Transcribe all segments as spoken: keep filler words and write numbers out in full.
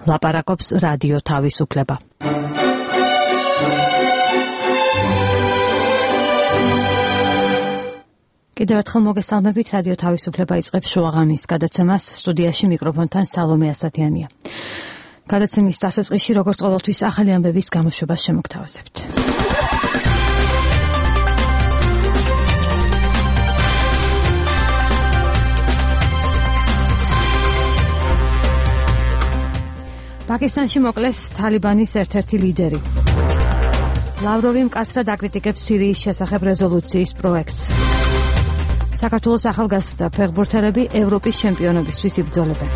ლაპარაკობს რადიო თავისუფლება. კიდევ ერთხელ მოგესალმებით, რადიო თავისუფლება იწყებს შუაღამის გადაცემას, სტუდიაში მიკროფონთან სალომე ასათიანია. გადაცემის დასაწყისში, როგორც ყოველთვის, ახალი ამბების გამოშვებას შემოგთავაზებთ. პაკისტანში მოკლეს თალიბანის ერთ-ერთი ლიდერი. ლავროვი მკაცრად აკრიტიკებს სირიის შესახებ რეზოლუციის პროექტს. საქართველოს ახალგაზრდა ფეხბურთელები ევროპის ჩემპიონობისთვის იბრძოლებენ.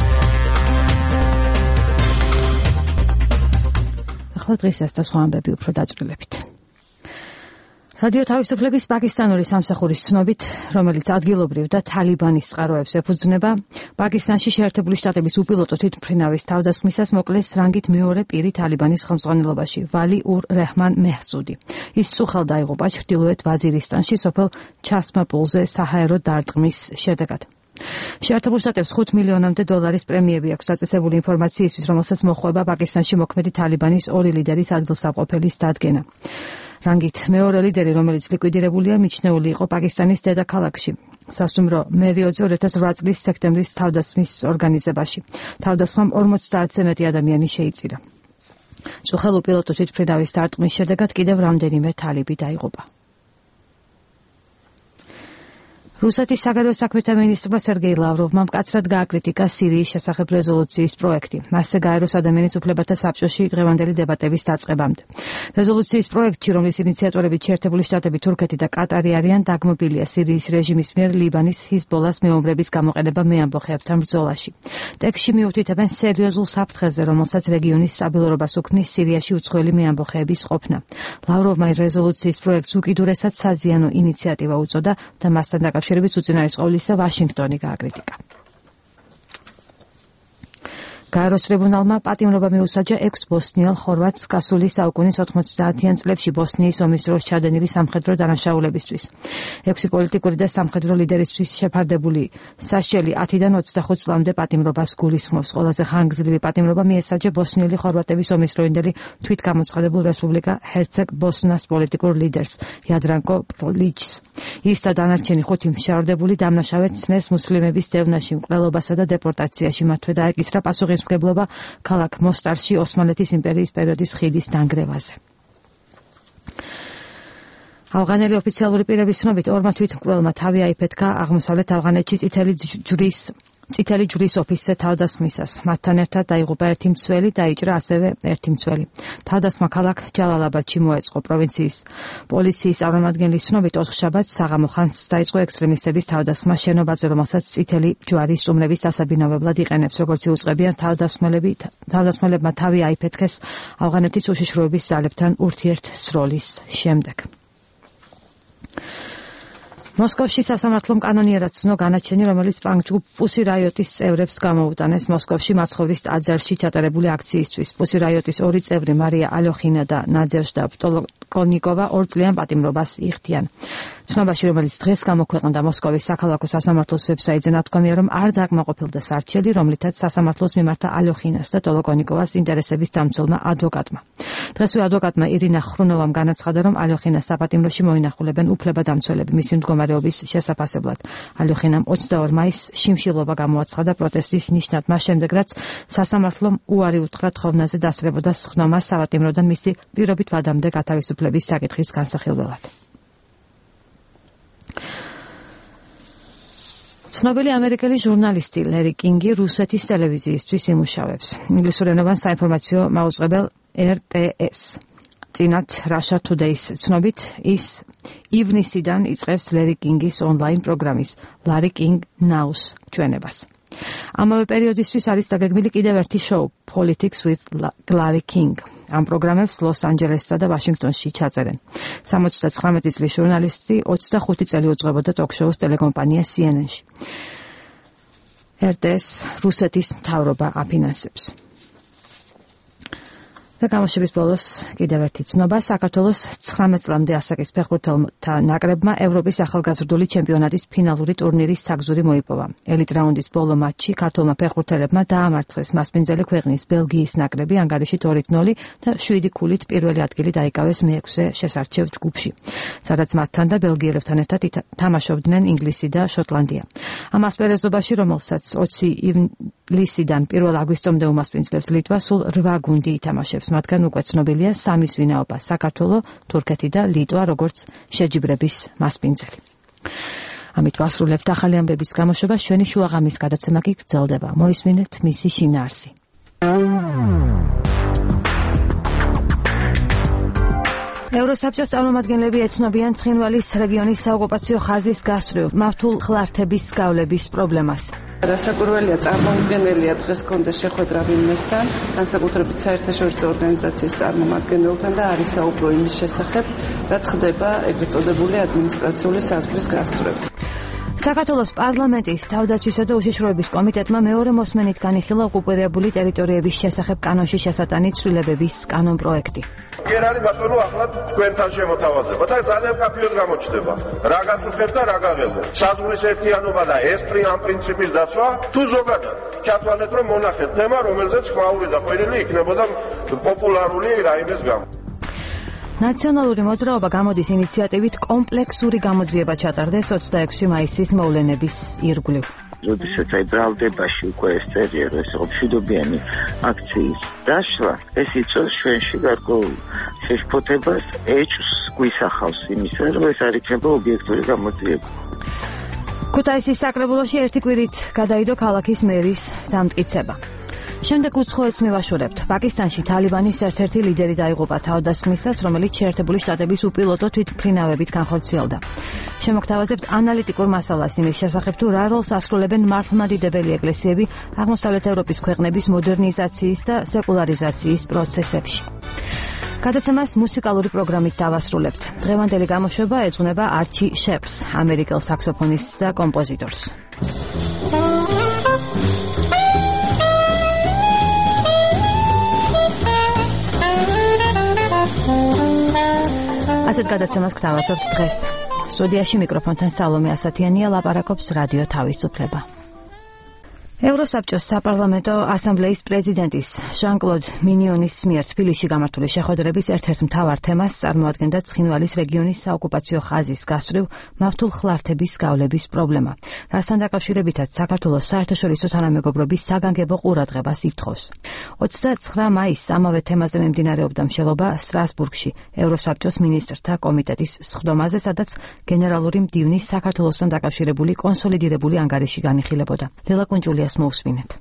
ახლა დღეს ეს და სხვა ამბები უფრო დაწვრილებით. რადიო თავისუფლების პაკისტანური სამსახურის ცნობით, რომელიც ადგილობრივ და თალიბანის წყაროებს ეფუძნება, პაკისტანში შეერთებული შტატების უპილოტო თვითმფრინავის თავდასხმისას მოკლეს რანგით მეორე პირი თალიბანის ხელმძღვანელობაში, ვალი ურ რეჰმან მეჰსუდი. ის წუხელ დაიღუპა ჩრდილოეთ ვაზირისტანში სოფელ ჩასმაპულზე საჰაერო დარტყმის შედეგად. შეერთებულ შტატებს ხუთ მილიონამდე დოლარის პრემიები აქვს დაწესებული ინფორმაციისთვის, რომელსაც მოჰყვება პაკისტანში მოქმედი თალიბანის ორი ლიდერის ადგილსამყოფელის დადგენა. რანგით მეორე ლიდერი, რომელიც ლიკვიდირებულია, მიჩნეული იყო პაკისტანის დედაქალაქში, სასტუმრო მერიოტზე ორი ათას ოთხ წლის სექტემბრის თავდასხმის ორგანიზებაში. თავდასხმამ ორმოცდაათზე მეტი ადამიანი შეიწირა. წუხელ უპილოტო თვითმფრინავის დარტყმის შედეგად კიდევ რამდენიმე თალიბი დაიღუპა. რუსეთის საგარეო საქმეთა მინისტრმა სერგეი ლავროვმა მკაცრად გააკრიტიკა სირიის შესახებ რეზოლუციის პროექტი. მასზე გაეროს ადამიანის უფლებათა საბჭოში დღევანდელი დებატების დაწყებამდე. რეზოლუციის პროექტში, რომლის ინიციატორები შეერთებული შტატები, თურქეთი და კატარი არიან, დაგმობილია სირიის რეჟიმის მიერ ლიბანის ჰიზბოლას მეომრების გამოყენება მეამბოხეებთან ბრძოლაში. ტექსტში მიუთითებენ სერიოზულ საფრთხეზე, რომელსაც რეგიონის სტაბილურობას უქმნის სირიაში უცხოელი მეამბოხეების ყოფნა. ლავროვმა რეზოლუციის პროექტს უკიდურესად საზიანო ინიციატივა უწოდა და მასთან დაკავშირებით შერებით უწინარესყოვლისა ვაშინგტონი გააკრიტიკა. გაეროს ტრიბუნალმა პატიმრობა მიუსაჯა ექვს ბოსნიელ ხორვატს გასული საუკუნის ოთხმოცდაათიან წლებში ბოსნიის ომის დროს ჩადენილი სამხედრო დანაშაულებისთვის. ექვსი პოლიტიკური და სამხედრო ლიდერისთვის შეფარდებული სასჯელი ათიდან ოცდახუთ წლამდე პატიმრობას გულისხმობს. ყველაზე ხანგრძლივი პატიმრობა მიესაჯა ბოსნიელი ხორვატების ომის დროინდელი თვითგამოცხადებულ რესპუბლიკა ჰერცეგ ბოსნას პოლიტიკურ ლიდერს იადრანკო პროლიჩს. ის და დანარჩენი ხუთი მშავრდებული დამნაშავედ ცნეს მუსლიმების დევნაში, მკვლელობასა და დეპორტაციაში. მათვე დაეკისრა პასუხისმგებლობა ქალაქ მოსტარში ოსმალეთის იმპერიის პერიოდის ხიდის დანგრევაზე. ავღანელი ოფიციალური პირების ცნობით, ორმა თვითმკვლელმა თავი აიფეთქა აღმოსავლეთ ავღანეთში წითელი ჯვრის წითელი ჯვრის ოფისზე თავდასხმისას. მათთან ერთად დაიღუპა ერთი მცველი, დაიჭრა ასევე ერთი მცველი. თავდასხმა ქალაქ ჯალალაბადში მოეწყო. პროვინციის პოლიციის წარმომადგენლის ცნობით, ოთხშაბათს საღამო ხანს დაიწყო ექსტრემისტების თავდასხმა შენობაზე, რომელსაც წითელი ჯვარი სტუმრების დასაბინავებლად იყენებს. როგორც იუწყებიან, თავდასხმელები თავდასხმელებმა თავი აიფეთქეს ავღანეთის უშიშროების ძალებთან ურთიერთსროლის შემდეგ. მოსკოვში სასამართლომ კანონიერად ცნო განაჩენი, რომელიც პანკ-ჯგუფ პუსი რაიოტის წევრებს გამოუტანეს მოსკოვში მაცხოვრის ტაძარში ჩატარებული აქციისთვის. პუსი რაიოტის ორი წევრი, მარია ალოხინა და ნადეჟდა პტოლკონიკოვა, ორ წლიან პატიმრობას იხდიან. ცნობაში, რომელიც დღეს გამოქვეყნდა მოსკოვის საქალაქო სასამართლოს ვებსაიტზე, ნათქვამია, რომ არ დაკმაყოფილდა სარჩელი, რომლითაც სასამართლოს მიმართა ალოხინას და ტოლკონიკოვას ინტერესების დამცველმა ადვოკატმა. დღესვე ადვოკატმა ირინა ხრუნოვამ განაცხადა, რომ ალოხინას საპატიმროში მოინახულებენ უფლება-დამცველები მისი მდგომარეობის შესაფასებლად. ალოხინამ ოცდაორ მაისს შიმშილობა გამოაცხადა პროტესტის ნიშნად, მას შემდეგ, რაც სასამართლომ უარი უთხრა თხოვნაზე დასწრებოდა სხდომას საპატიმროდან მისი პირობით ვადამდე გათავისუფლების საკითხის განსახილველად. ცნობილი ამერიკელი ჟურნალისტი ლერი კინგი რუსეთის ტელევიზიისთვის იმუშავებს. ინგლისურენოვან საინფორმაციო მაუწყებელ ერ ტე ეს. წინათ Russia Today-ს ცნობით, ის ივნისიდან იწყებს ლერი კინგის ონლაინ პროგრამის Larry King Now-ს ჩვენებას. ამავე პერიოდისთვის არის დაგეგმილი კიდევ ერთი შოუ Politics with Larry King. ამ პროგრამებს ლოს-ანჯელესსა და ვაშინგტონში ჩაწერენ. სამოცდათხრამეტი წლის ჟურნალისტი ოცდახუთი წელი უძღვებოდა ტოქ-შოუს ტელეკომპანია სი ენ ენ-ში. ერ ტე ეს რუსეთის მთავრობა აფინანსებს. და გამოშვების ბოლოს კიდევ ერთი ცნობა. საქართველოს ცხრამეტ წლამდე ასაკის ფეხბურთელთა ნაკრებმა ევროპის ახალგაზრდული ჩემპიონატის ფინალური ტურნირის საგზური მოიპოვა. ელიტ რაუნდის ბოლო მატჩში ქართველმა ფეხბურთელებმა დაამარცხეს მასპინძელი ქვეყნის ბელგიის ნაკრები ანგარიშით ორი ნული და შვიდი ქულით პირველი ადგილი დაიკავეს მეექვსე შესარჩევ ჯგუფში, სადაც მათთან და ბელგიელებთან ერთად თამაშობდნენ ინგლისი და შოტლანდია. ამ ასპარეზობაში, რომელსაც ოცი ივლისიდან პირველ აგვისტომდე უმასპინძლებს ლიტვა, სულ რვა გუნდი ითამაშებს. მათგან უკვე ცნობილია სამის ვინაობა: საქართველო, თურქეთი და ლიტვა, როგორც შეჯიბრების მასპინძელი. ამით ვასრულებთ ახალი ამბების გამოშვებას. ჩვენი შუაღამის გადაცემა კი გრძელდება. მოისმინეთ მისი შინაარსი. ევროსაბჭოს წარმომადგენლები ეცნობიან ცხინვალის რეგიონის საოკუპაციო ხაზის გასწვრივ მავთულ ხლართების გავლების პრობლემას. რასაკვირველია, წარმომადგენელია დღეს კონდეს შეხვედრა ვინმესთან, განსაკუთრებით საერთაშორისო ორგანიზაციის წარმომადგენელთან და არის საუბრო იმის შესახებ, რაც ხდება ეგრეთ წოდებული ადმინისტრაციული საზღვრის გასწვრივ. საქართველოს პარლამენტის თავდაცვისა და უშიშროების კომიტეტმა მეორე მოსმენით განიხილა ოკუპირებული ტერიტორიების შესახებ კანონში შესატანი ცვლილებების კანონპროექტი. კი არის ბატონო, ახლა თქვენთან შემოთავაზება და ძალიან კაფეოდ გამოჩნდება. რა გაწუხებ და რა გაღელვებ. საზღვრის ერთიანობა და ეს ამ პრინციპის დაცვა თუ ზოგადად ჩათვალეთ, რომ მონახეთ თემა, რომელზეც ხმაური და ყვირილი იქნებოდა პოპულარული რაიმეს გამო. ნაციონალური მოძრაობა გამოდის ინიციატივით კომპლექსური გამოძიება ჩატარდეს ოცდაექვსი მაისის მოვლენების ირგვლივ. როდესაც აი ბრალდებაში უკვე ეს წერია, რომ ეს მშვიდობიანი აქციის დაშლა, ეს იწვევს ჩვენში გარკვეულ შეშფოთებას, ეჭვს გვისახავს იმისა, რომ ეს არ იქნება ობიექტური გამოძიება. ქუთაისის საკრებულოში ერთი კვირით გადაიდო ქალაქის მერის დამტკიცება. შემდეგ უცხოეთს მივაშორებთ. პაკისტანში თალიბანის ერთ-ერთი ლიდერი დაიღუპა თავდასხმისას, რომელიც შეერთებული შტატების უპილოტო თვითმფრინავებით განხორციელდა. შემოგთავაზებთ ანალიტიკურ მასალას იმის შესახებ, თუ რა როლს ასრულებენ მართლმადიდებელი ეკლესიები აღმოსავლეთ ევროპის ქვეყნების მოდერნიზაციის და სეკულარიზაციის პროცესებში. გადაცემას მუსიკალური პროგრამით დავასრულებთ. დღევანდელი გამოშვება ეძღვნება არჩი შეპს, ამერიკელ საქსოფონისტს და კომპოზიტორს. ასეთ გადაცემას გთავაზობთ დღეს. სტუდიაში მიკროფონთან სალომე ასათიანია, ლაპარაკობს რადიო თავისუფლება. ევროსაბჭოს საპარლამენტო ასამბლეის პრეზიდენტის ჟან-კლოდ მინიონის მიერ თბილისში გამართული შეხვედრების ერთ-ერთ მთავარ თემას წარმოადგენდა ცხინვალის რეგიონის საოკუპაციო ხაზის გასწვრივ მავთულ ხლართების გავლების პრობლემა, რასთან დაკავშირებითაც საქართველოს საერთაშორისო თანამეგობრობის საგანგებო ყურადღებას ითხოვს. ოცდაცხრა მაისს ამავე თემაზე მიმდინარეობდა მსჯელობა სტრასბურგში ევროსაბჭოს მინისტრთა კომიტეტის სხდომაზე, სადაც გენერალური მდივნის საქართველოსთან დაკავშირებული კონსოლიდირებული ანგარიში განიხილებოდა. ლელა კუნჯულიას მოусმინეთ.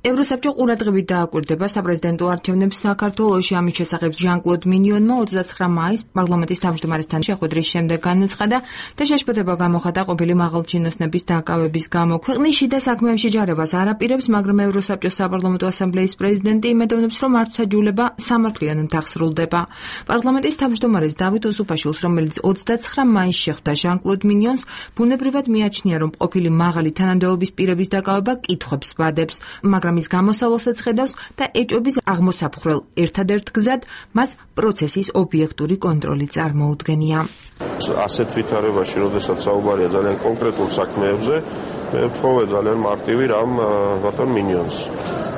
ევროსაბჭო ყურადღებით დააკვირდება საპრეზიდენტო არჩევნებს საქართველოში. ამის შესახებ ჟან-კლოდ მინიონმა ოცდაცხრა მაისს პარლამენტის თავმჯდომარესთან შეხვედრის შემდეგ განაცხადა და შეშფოთება გამოხატა ყოფილი მაღალჩინოსნების დაკავების გამო. ქვეყნის შიდა საქმეებში ჯარებას არ აპირებს, მაგრამ ევროსაბჭოს საპარლამენტო ასამბლეის პრეზიდენტი იმედოვნებს, რომ მართლმსაჯულება სამართლიანად აღსრულდება. პარლამენტის თავმჯდომარეს დავით ოსუფაშვილს, რომელიც ოცდაცხრა მაისს შეხვდა ჟან-კლოდ მინიონს, ბუნებრივად მიაჩნია, რომ ყოფილი მაღალი თანამდებობის პირების დაკავება კითხვებს ბადებს, მაგრამ ის გამოსავალსაც ხედავს და ეჭვების აღმოსაფხრელ ერთადერთ გზად მას პროცესის ობიექტური კონტროლი წარმოუდგენია. ასეთ ვითარებაში, როდესაც საუბარია ძალიან კონკრეტულ საქმეებზე, მე ვთხოვე ძალიან მარტივი რამ ბატონ მინიონს.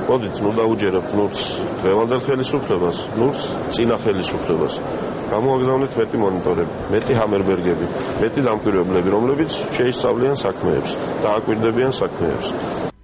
მოდით, ნუ დაუჯერებთ ნურს დღევანდელ ხელისუფლებას, ნურს წინა ხელისუფლებას. გამოაგზავნეთ მეტი მონიტორები, მეტი ჰამერბერგები, მეტი დამკვირვებლები, რომლებიც შეისწავლიან საქმეებს და აკვირდებიან საქმეებს.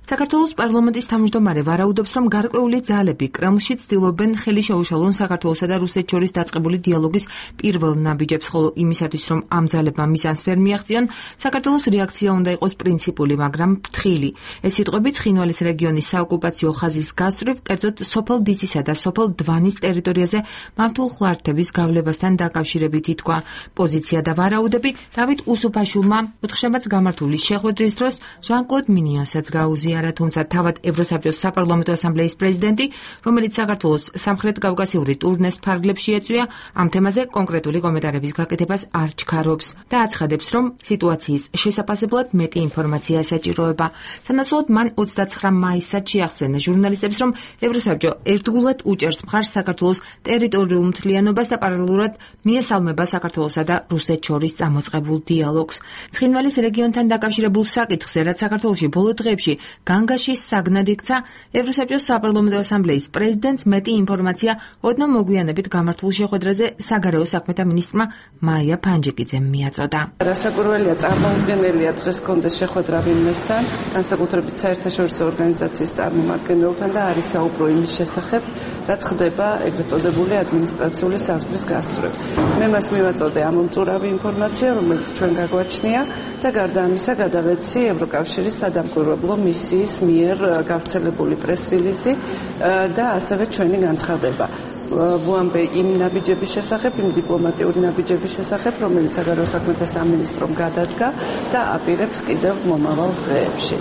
საქართველოს პარლამენტის თავმჯდომარე ვარაუდობს, რომ გარკვეული ძალები კრემლში ცდილობენ ხელი შეუშალონ საქართველოსა და რუსეთს შორის დაწყებული დიალოგის პირველ ნაბიჯებს, ხოლო იმისათვის, რომ ამ ძალებმა მიზანს ვერ მიაღწიონ, საქართველოს რეაქცია უნდა იყოს პრინციპული, მაგრამ ფრთხილი. ეს სიტყვები ცხინვალის რეგიონის საოკუპაციო ხაზის გასწვრივ, კერძოდ სოფელ დიცისა და სოფელ დვანის ტერიტორიაზე მავთულ ხლართების გავლებასთან დაკავშირებით ითქვა. პოზიცია და ვარაუდები დავით უსუფაშვილმა ოთხშაბათს გამართული შეხვედრის დროს ჟან-კლოდ მინიონსაც გაუზია. არა, თუმცა თავად ევროსაბჭოს საპარლამენტო ასამბლეის პრეზიდენტი, რომელიც საქართველოს სამხრეთ კავკასიური ტურნეს ფარგლებში ეწვია, ამ თემაზე კონკრეტული კომენტარების გაკეთებას არ ჩქარობს და აცხადებს, რომ სიტუაციის შესაფასებლად მეტი ინფორმაცია საჭიროება. სანაცვლოდ მან ოცდაცხრა მაისად შეახსენა ჟურნალისტებს, რომ ევროსაბჭო ერთგულად უჭერს მხარს საქართველოს ტერიტორიულ მთლიანობას და პარალელურად მიესალმება საქართველოსა და რუსეთს შორის წამოწყებულ დიალოგს. ცხინვალის რეგიონთან დაკავშირებულ საკითხზე, რაც საქართველოში ბოლო დღეებში განგაში საგნად იქცა, ევროსაბჭოს საპარლამენტო ასამბლეის პრეზიდენტს მეტი ინფორმაცია ოდნავ მოგვიანებით გამართულ შეხვედრაზე საგარეო საქმეთა მინისტრმა მაია ფანჯიკიძემ მიაწოდა. რასაკვირველია, წარმოუდგენელია დღეს კონდეს შეხვედრა ვინმესთან, განსაკუთრებით საერთაშორისო ორგანიზაციის წარმომადგენელთან და არის საუბრო იმის შესახებ, რაც ხდება ეგრეთ წოდებული ადმინისტრაციული საზღვრის გასწვრივ. მე მას მივაწოდე ამომწურავი ინფორმაცია, რომელიც ჩვენ გაგვაჩნია და გარდა ამისა გადავეცი ევროკავშირის სადამკვირვებლო მისიის მიერ გავრცელებული პრეს-რილიზი და ასევე ჩვენი განცხადება. ვუამბე იმ ნაბიჯების შესახებ, იმ დიპლომატიური ნაბიჯების შესახებ, რომელიც საგარეო საქმეთა სამინისტრომ გადადგა და აპირებს კიდევ მომავალ დღეებში.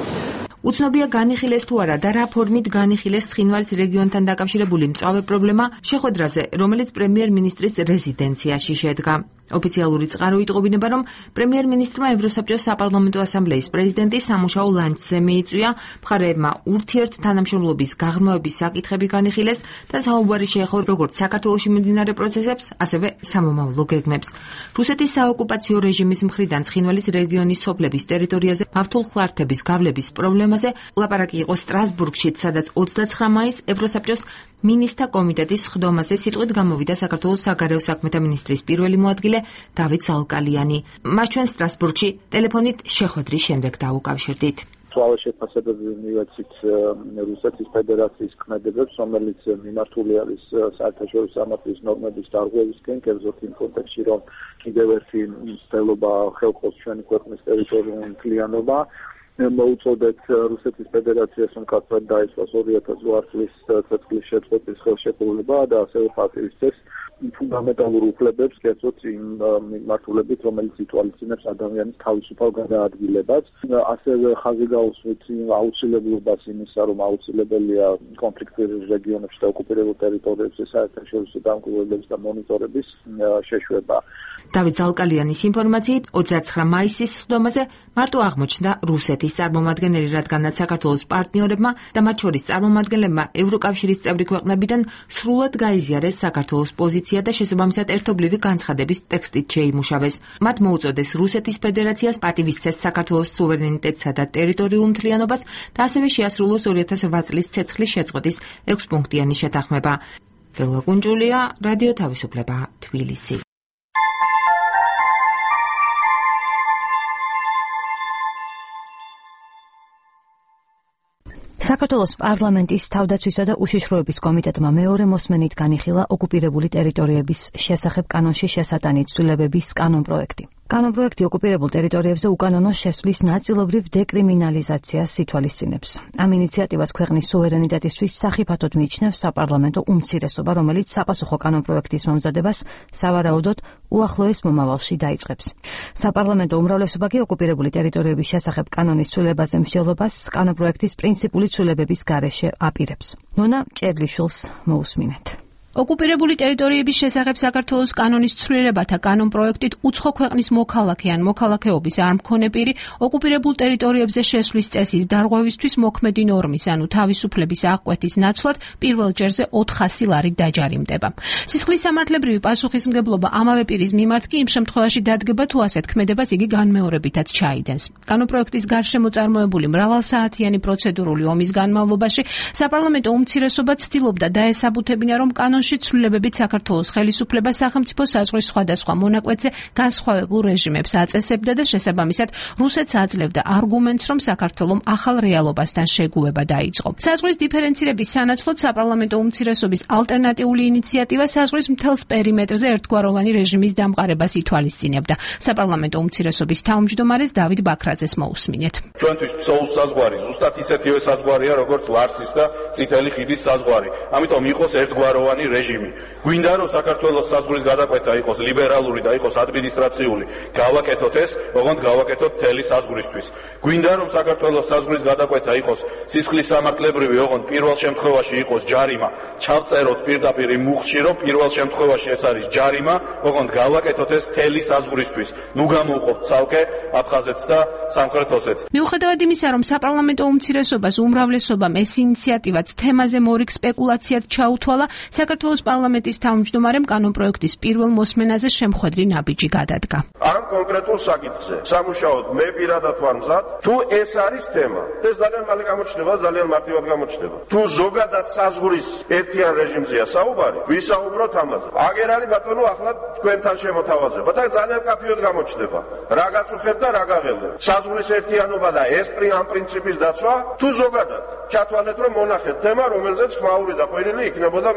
უცნობია განიხილეს თუ არა და რა ფორმით განიხილეს ცხინვალის რეგიონთან დაკავშირებული მწვავე პრობლემა შეხვედრაზე, რომელიც პრემიერ-მინისტრის რეზიდენციაში შედგა. ოფიციალური წყარო იტყობინება, რომ პრემიერ-მინისტრმა ევროსაბჭოს საპარლამენტო ასამბლეის პრეზიდენტი სამუშაო ლანჩზე მიიწვია, მხარეებმა ურთიერთთანამშრომლობის გაღრმავების საკითხები განიხილეს და საუბარი შეეხო როგორც საქართველოში მიმდინარე პროცესებს, ასევე სამომავლო გეგმებს. რუსეთის საოკუპაციო რეჟიმის მხრიდან ცხინვალის რეგიონის სოფლების ტერიტორიაზე მავთულ ხლართების გავლების პრობლემაზე ლაპარაკი იყო სტრასბურგში, სადაც ოცდაცხრა მაისს ევროსაბჭოს მინისტრთა კომიტეტის სხდომაზე სიტყვით გამოვიდა საქართველოს საგარეო საქმეთა მინისტრის პირველი მოადგილე დავით ზალკალიანი. მას ჩვენ სტრასბურგში ტელეფონით შეხვედრის შემდეგ დაუკავშირდით. მწვავე შეფასებები მივეცით რუსეთის ფედერაციის ქმედებებს, რომელიც მიმართული არის საერთაშორისო სამართლის ნორმების დარღვევისკენ, კერძოდ იმ კონტექსტში, რომ კიდევ ერთი მცდელობა ხელყოს ჩვენი ქვეყნის ტერიტორიული მთლიანობა. მოუწოდეთ რუსეთის ფედერაციას, რომ კაცად დაისვას ორი ათას ორი წლის წლის შეწყვეტის ხელშეკრულება და ასევე პატივისცემს ფუნდამენტალურ უფლებებს, კერძოდ იმ მიმართულებით, რომელიც ითვალისწინებს ადამიანის თავისუფალ გადაადგილებას. ასევე ხაზი გაუსვით აუცილებლობას იმისა, რომ აუცილებელია კონფლიქტურ რეგიონებში და ოკუპირებულ ტერიტორიებზე საერთაშორისო დამკვირვებლების და მონიტორების შეშვება. დავით ზალკალიანის ინფორმაციით, ოცდაცხრა მაისის სხდომაზე მარტო აღმოჩნდა რუსეთის წარმომადგენელი, რადგანაც საქართველოს პარტნიორებმა და მათ შორის წარმომადგენლებმა ევროკავშირის წევრი ქვეყნებიდან სრულად გაიზიარეს საქართველოს პოზიცია და შესაბამისად ერთობლივი განცხადების ტექსტით შეიმუშავეს. მათ მოუწოდეს რუსეთის ფედერაციას პატივისცეს საქართველოს სუვერენიტეტსა და ტერიტორიულ მთლიანობას და ასევე შეასრულოს ორი ათას რვა წლის ცეცხლის შეწყვეტის ექვსპუნქტიანი შეთანხმება. ლელა კუნჯულია, რადიო თავისუფლება, თბილისი. საქართველოს პარლამენტის თავდაცვისა და უშიშროების კომიტეტმა მეორე მოსმენით განიხილა ოკუპირებული ტერიტორიების შესახებ კანონში შესატანი ცვლილებების კანონპროექტი. კანონპროექტი ოკუპირებულ ტერიტორიებზე უკანონო შესვლის ნაწილობრივ დეკრიმინალიზაციას ითვალისწინებს. ამ ინიციატივას ქვეყნის სუვერენიტეტისთვის სახიფათოდ მიიჩნევს საპარლამენტო უმცირესობა, რომელიც საპასუხო კანონპროექტის მომზადებას სავარაუდოდ უახლოეს მომავალში დაიწყებს. საპარლამენტო უმრავლესობა კი ოკუპირებული ტერიტორიების შესახებ კანონის ცვლილებაზე მსჯელობას კანონპროექტის პრინციპული ცვლილებების გარეშე აპირებს. ნონა ჭერლიშვილს მოусმინეთ. ოკუპირებული ტერიტორიების შესახებ საქართველოს კანონის ცვლილებათა კანონპროექტით უცხო ქვეყნის მოქალაქე ან მოქალაქეობის არ მქონე პირი ოკუპირებულ ტერიტორიებზე შესვლის წესის დარღვევისთვის მოქმედი ნორმის, ანუ თავისუფლების აღკვეთის ნაცვლად პირველ ჯერზე ოთხასი ლარით დაჯარიმდება. სისხლის სამართლებრივი პასუხისმგებლობა ამავე პირის მიმართ კი იმ შემთხვევაში დადგება, თუ ასეთ ქმედებას იგი განმეორებითაც ჩაიდენს. კანონპროექტის გარშემო წარმოებული მრავალსაათიანი პროცედურული ომის განმავლობაში საპარლამენტო უმცირესობა ცდილობდა დაესაბუთებინა, რომ კანონში ცვლილებებით საქართველოს ხელისუფლება სახელმწიფო საზღვრის სხვადასხვა მონაკვეთზე განსხვავებულ რეჟიმებს აწესებდა და შესაბამისად რუსეთს აძლევდა არგუმენტს, რომ საქართველომ ახალ რეალობასთან შეგუება დაიწყო. საზღვრის დიფერენცირების სანაცვლოდ საპარლამენტო უმცირესობის ალტერნატიული ინიციატივა საზღვრის მთელს პერიმეტრზე ერთგვაროვანი რეჟიმის დამყარებას ითვალისწინებდა. საპარლამენტო უმცირესობის თავმჯდომარეს დავით ბაქრაძეს მოусმინეთ. ჩვენთვის ფსოუს საზღვარი ზუსტად ისეთივე საზღვარია, როგორც ლარსის და წითელი ხიდის საზღვარი. ამიტომ იყოს ერთგვაროვანი რეჟიმი. გვინდა რომ საქართველოს საზღვრის გადაკვეთა იყოს ლიბერალური და იყოს ადმინისტრაციული, გავაკეთოთ ეს, ოღონდ გავაკეთოთ მთელი საზღვრისთვის. გვინდა რომ საქართველოს საზღვრის გადაკვეთა იყოს სისხლის სამართლებრივი, ოღონდ პირველ შემთხვევაში იყოს ჯარიმა. ჩავწეროთ პირდაპირ იმ მუხლში, რომ პირველ შემთხვევაში ეს არის ჯარიმა, ოღონდ გავაკეთოთ ეს მთელი საზღვრისთვის. ნუ გამოვყოფთ ცალკე აფხაზეთს და სამხრეთ ოსეთს. მიუხედავად იმისა, რომ საპარლამენტო უმცირესობას უმრავლესობამ ეს ინიციატივაც თემაზე მორიგ სპეკულაციად ჩაუთვალა, საქართველოს პარლამენტის თავმჯდომარემ კანონპროექტის პირველ მოსმენაზე შემხვედრი ნაბიჯი გადადგა. ამ კონკრეტულ საკითხზე სამუშაოდ მე პირადად ვარ მზად, თუ ეს არის თემა, ეს ძალიან მალე გამოჩნდება, ძალიან მარტივად გამოჩნდება. თუ ზოგადად საზღვრის ერთიან რეჟიმზეა საუბარი, ვისაუბროთ ამაზე. აგერ არის ბატონო ახლა თქვენთან შემოთავაზება და ძალიან კაფიოდ გამოჩნდება. რა გაწუხებ და რა გაღელებ. საზღვრის ერთიანობა და ეს ამ პრინციპის დაცვა, თუ ზოგადად ჩათვალეთ, რომ მონახეთ თემა, რომელზეც ხმაური და ყვირილი იქნებოდა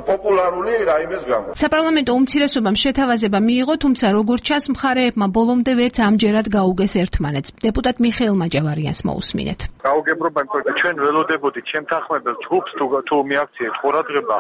პოპულარული რაიმეს გამო. საპარლამენტო უმცირესობამ შეთავაზება მიიღო, თუმცა როგორც ჩანს, მხარეებმა ბოლომდე ვერც ამჯერად გაუგეს ერთმანეთს. დეპუტატ მიხეილ მაჭავარიანს მოусმინეთ. გაუგებრობა, იმიტომ რომ ჩვენ ველოდებოდით შემთანხმებელ ჯგუფს თუ თუ მიაქციეთ ყურადღება,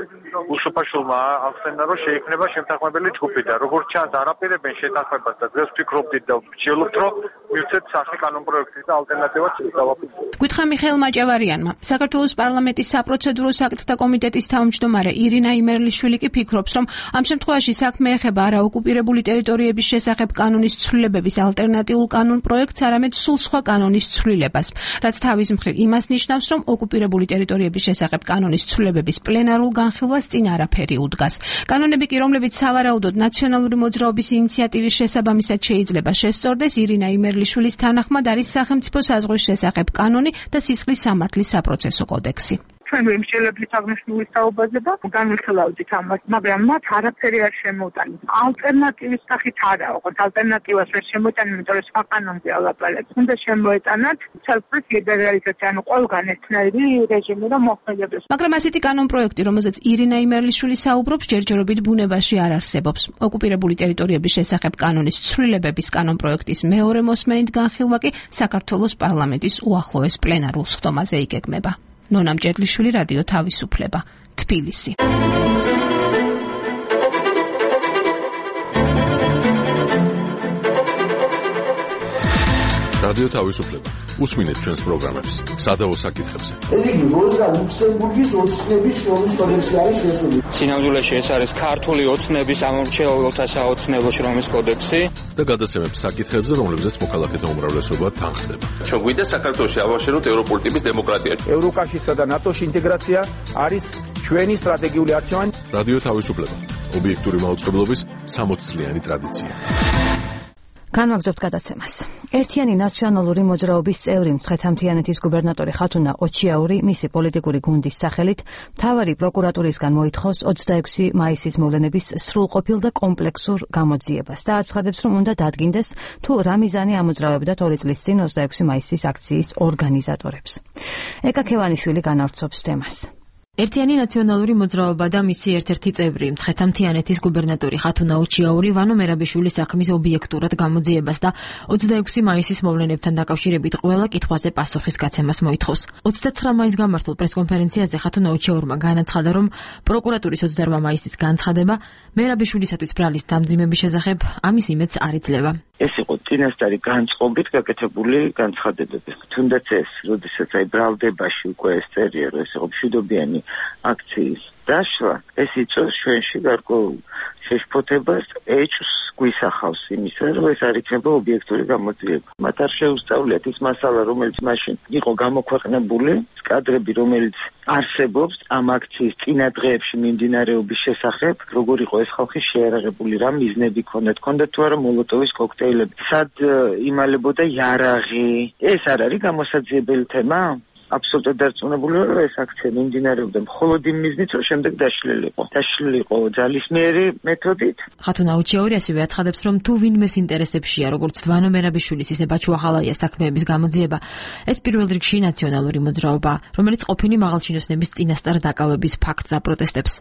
უსופაშულმა ახსენა, რომ შეიქმნება შემთანხმებელი ჯგუფი და როგორც ჩანს, არაპირებენ შეთანხმებას და დღეს ვფიქრობდით და ვსჯელობთ, რომ მივცეთ სახე კანონპროექტის და ალტერნატივას დავაფიქროთ. გითხრა მიხეილ მაჭავარიანმა, საქართველოს პარლამენტის საპროცედურო საკითხთა კომიტეტის თავმჯდომარე ირინა იმერლიშვილი კი ფიქრობს, რომ ამ შემთხვევაში საქმე ეხება არა ოკუპირებული ტერიტორიების შესახებ კანონის ცვლილებების ალტერნატიულ კანონპროექტს, არამედ სულ სხვა კანონის ცვლილებას, რაც თავის მხრივ იმას ნიშნავს, რომ ოკუპირებული ტერიტორიების შესახებ კანონის ცვლილებების პლენარულ განხილვას წინ არაფერი უდგას. კანონები კი, რომლებიც სავარაუდოდ ნაციონალური მოძრაობის ინიციატივის შესაბამისად შეიძლება შესწორდეს, ირინა იმერლიშვილის თანახმად არის სახელმწიფო საზღვრის შესახებ კანონი და სისხლის სამართლის საპროცესო კოდექსი. ჩვენ ვიმსჯელებთ აღნიშნული საუბარზე და განვიხილავდით ამას, მაგრამ მათ არაფერი არ შემოუტანეს. ალტერნატივის სახით არა, ოღონდ ალტერნატივას ვერ შემოიტანენ, იმიტომ რომ სხვა კანონზე ალაპარაკეთ. უნდა შემოეტანათ ცალკეულ ლიბერალიზაცია, ანუ ყველგან ერთნაირი რეჟიმი რომ მოხმედებდეს. მაგრამ ასეთი კანონპროექტი, რომელზეც ირინა იმერლიშვილი საუბრობს, ჯერჯერობით ბუნებაში არ არსებობს. ოკუპირებული ტერიტორიების შესახებ კანონის ცვლილებების კანონპროექტის მეორე მოსმენით განხილვა კი საქართველოს პარლამენტის უახლოეს პლენარულ სხდომაზე იგეგმება. ნონა მჭედლიშვილი, რადიო თავისუფლება, თბილისი. რადიო თავისუფლება. უსმინეთ ჩვენს პროგრამებს სადავო საკითხებზე. ეს იგი როზა ლუქსემბურგის ოცნების შრომის კოდექსი არის შესული. სინამდვილეში ეს არის ქართული ოცნების ამორჩეულთა საოცნებო შრომის კოდექსი და გადაცემებს საკითხებზე, რომლებზეც მოქალაქეთა უმრავლესობა თანხდება. ჩვენ გვინდა საქართველოში ავაშენოთ ევროპული ტიპის დემოკრატია. ევროკავშირსა და ნატოს ინტეგრაცია არის ჩვენი სტრატეგიული არჩევანი. რადიო თავისუფლება. ობიექტური მაუწყებლობის სამოცწლიანი ტრადიცია. განვაგრძობთ გადაცემას. ერთიანი ნაციონალური მოძრაობის წევრი მცხეთა-მთიანეთის გუბერნატორი ხათუნა ოჩიაური მისი პოლიტიკური გუნდის სახელით მთავარი პროკურატურისგან მოითხოვს ოცდაექვსი მაისის მოვლენების სრულყოფილ და კომპლექსურ გამოძიებას და აცხადებს, რომ უნდა დადგინდეს თუ რა მიზანი ამოძრავებდათ ორი წლის წინ ოცდაექვსი მაისის აქციის ორგანიზატორებს. ეკა ქევანიშვილი განავრცობს თემას. ერთიანი ნაციონალური მოძრაობა და მისი ერთ-ერთი წევრი მცხეთა-მთიანეთის გუბერნატორი ხათუნა ოჩიაური ვანო მერაბიშვილის საქმის ობიექტურად გამოძიებას და ოცდაექვსი მაისის მოვლენებთან დაკავშირებით ყველა კითხვაზე პასუხის გაცემას მოითხოვს. ოცდაცხრა მაისს გამართულ პრესკონფერენციაზე ხათუნა ოჩიაურმა განაცხადა, რომ პროკურატურის ოცდაორმა მაისის განცხადება მერაბიშვილისათვის ბრალის დამძიმების შესახებ ამის იმედს არ იძლევა. ეს იყო წინასწარი განწყობით გაკეთებული განცხადებები. თუნდაც ეს, როდესაც აი ბრალდებაში უკვე ეს წერია, რომ ეს იყო მშვიდობიანი აქციის დაშლა, ეს იწვევს ჩვენში გარკვეულ შეშფოთებას, ეჭვს გვისახავს იმისა, რომ ეს არ იქნება ობიექტური გამოძიება. მათ არ შეუსწავლიათ ის მასალა, რომელიც მაშინ იყო გამოქვეყნებული, კადრები, რომელიც არსებობს ამ აქციის წინა დღეებში მიმდინარეობის შესახებ, როგორ იყო ეს ხალხი შეერაღებული, რა მიზნები ჰქონდათ, ჰქონდათ თუ არა მოლოტოვის კოქტეილები, სად იმალებოდა იარაღი. ეს არ არის გამოსაძიებელი თემა? აბსოლუტურად დარწმუნებული ვარ, რომ ეს აქცია მიმდინარეობდა მხოლოდ იმ მიზნით, რომ შემდეგ დაშლილიყო. დაშლილიყო ძალისმიერი მეთოდით. ხათუნა ოჩიაური ასევე აცხადებს, რომ თუ ვინმეს ინტერესებშია, როგორც ვანო მერაბიშვილის, ისე ბაჩუ ახალაიას საქმეების გამოძიება, ეს პირველ რიგში ნაციონალური მოძრაობა, რომელიც ყოფილი მაღალჩინოსნების წინასწარ დაკავების ფაქტს აპროტესტებს.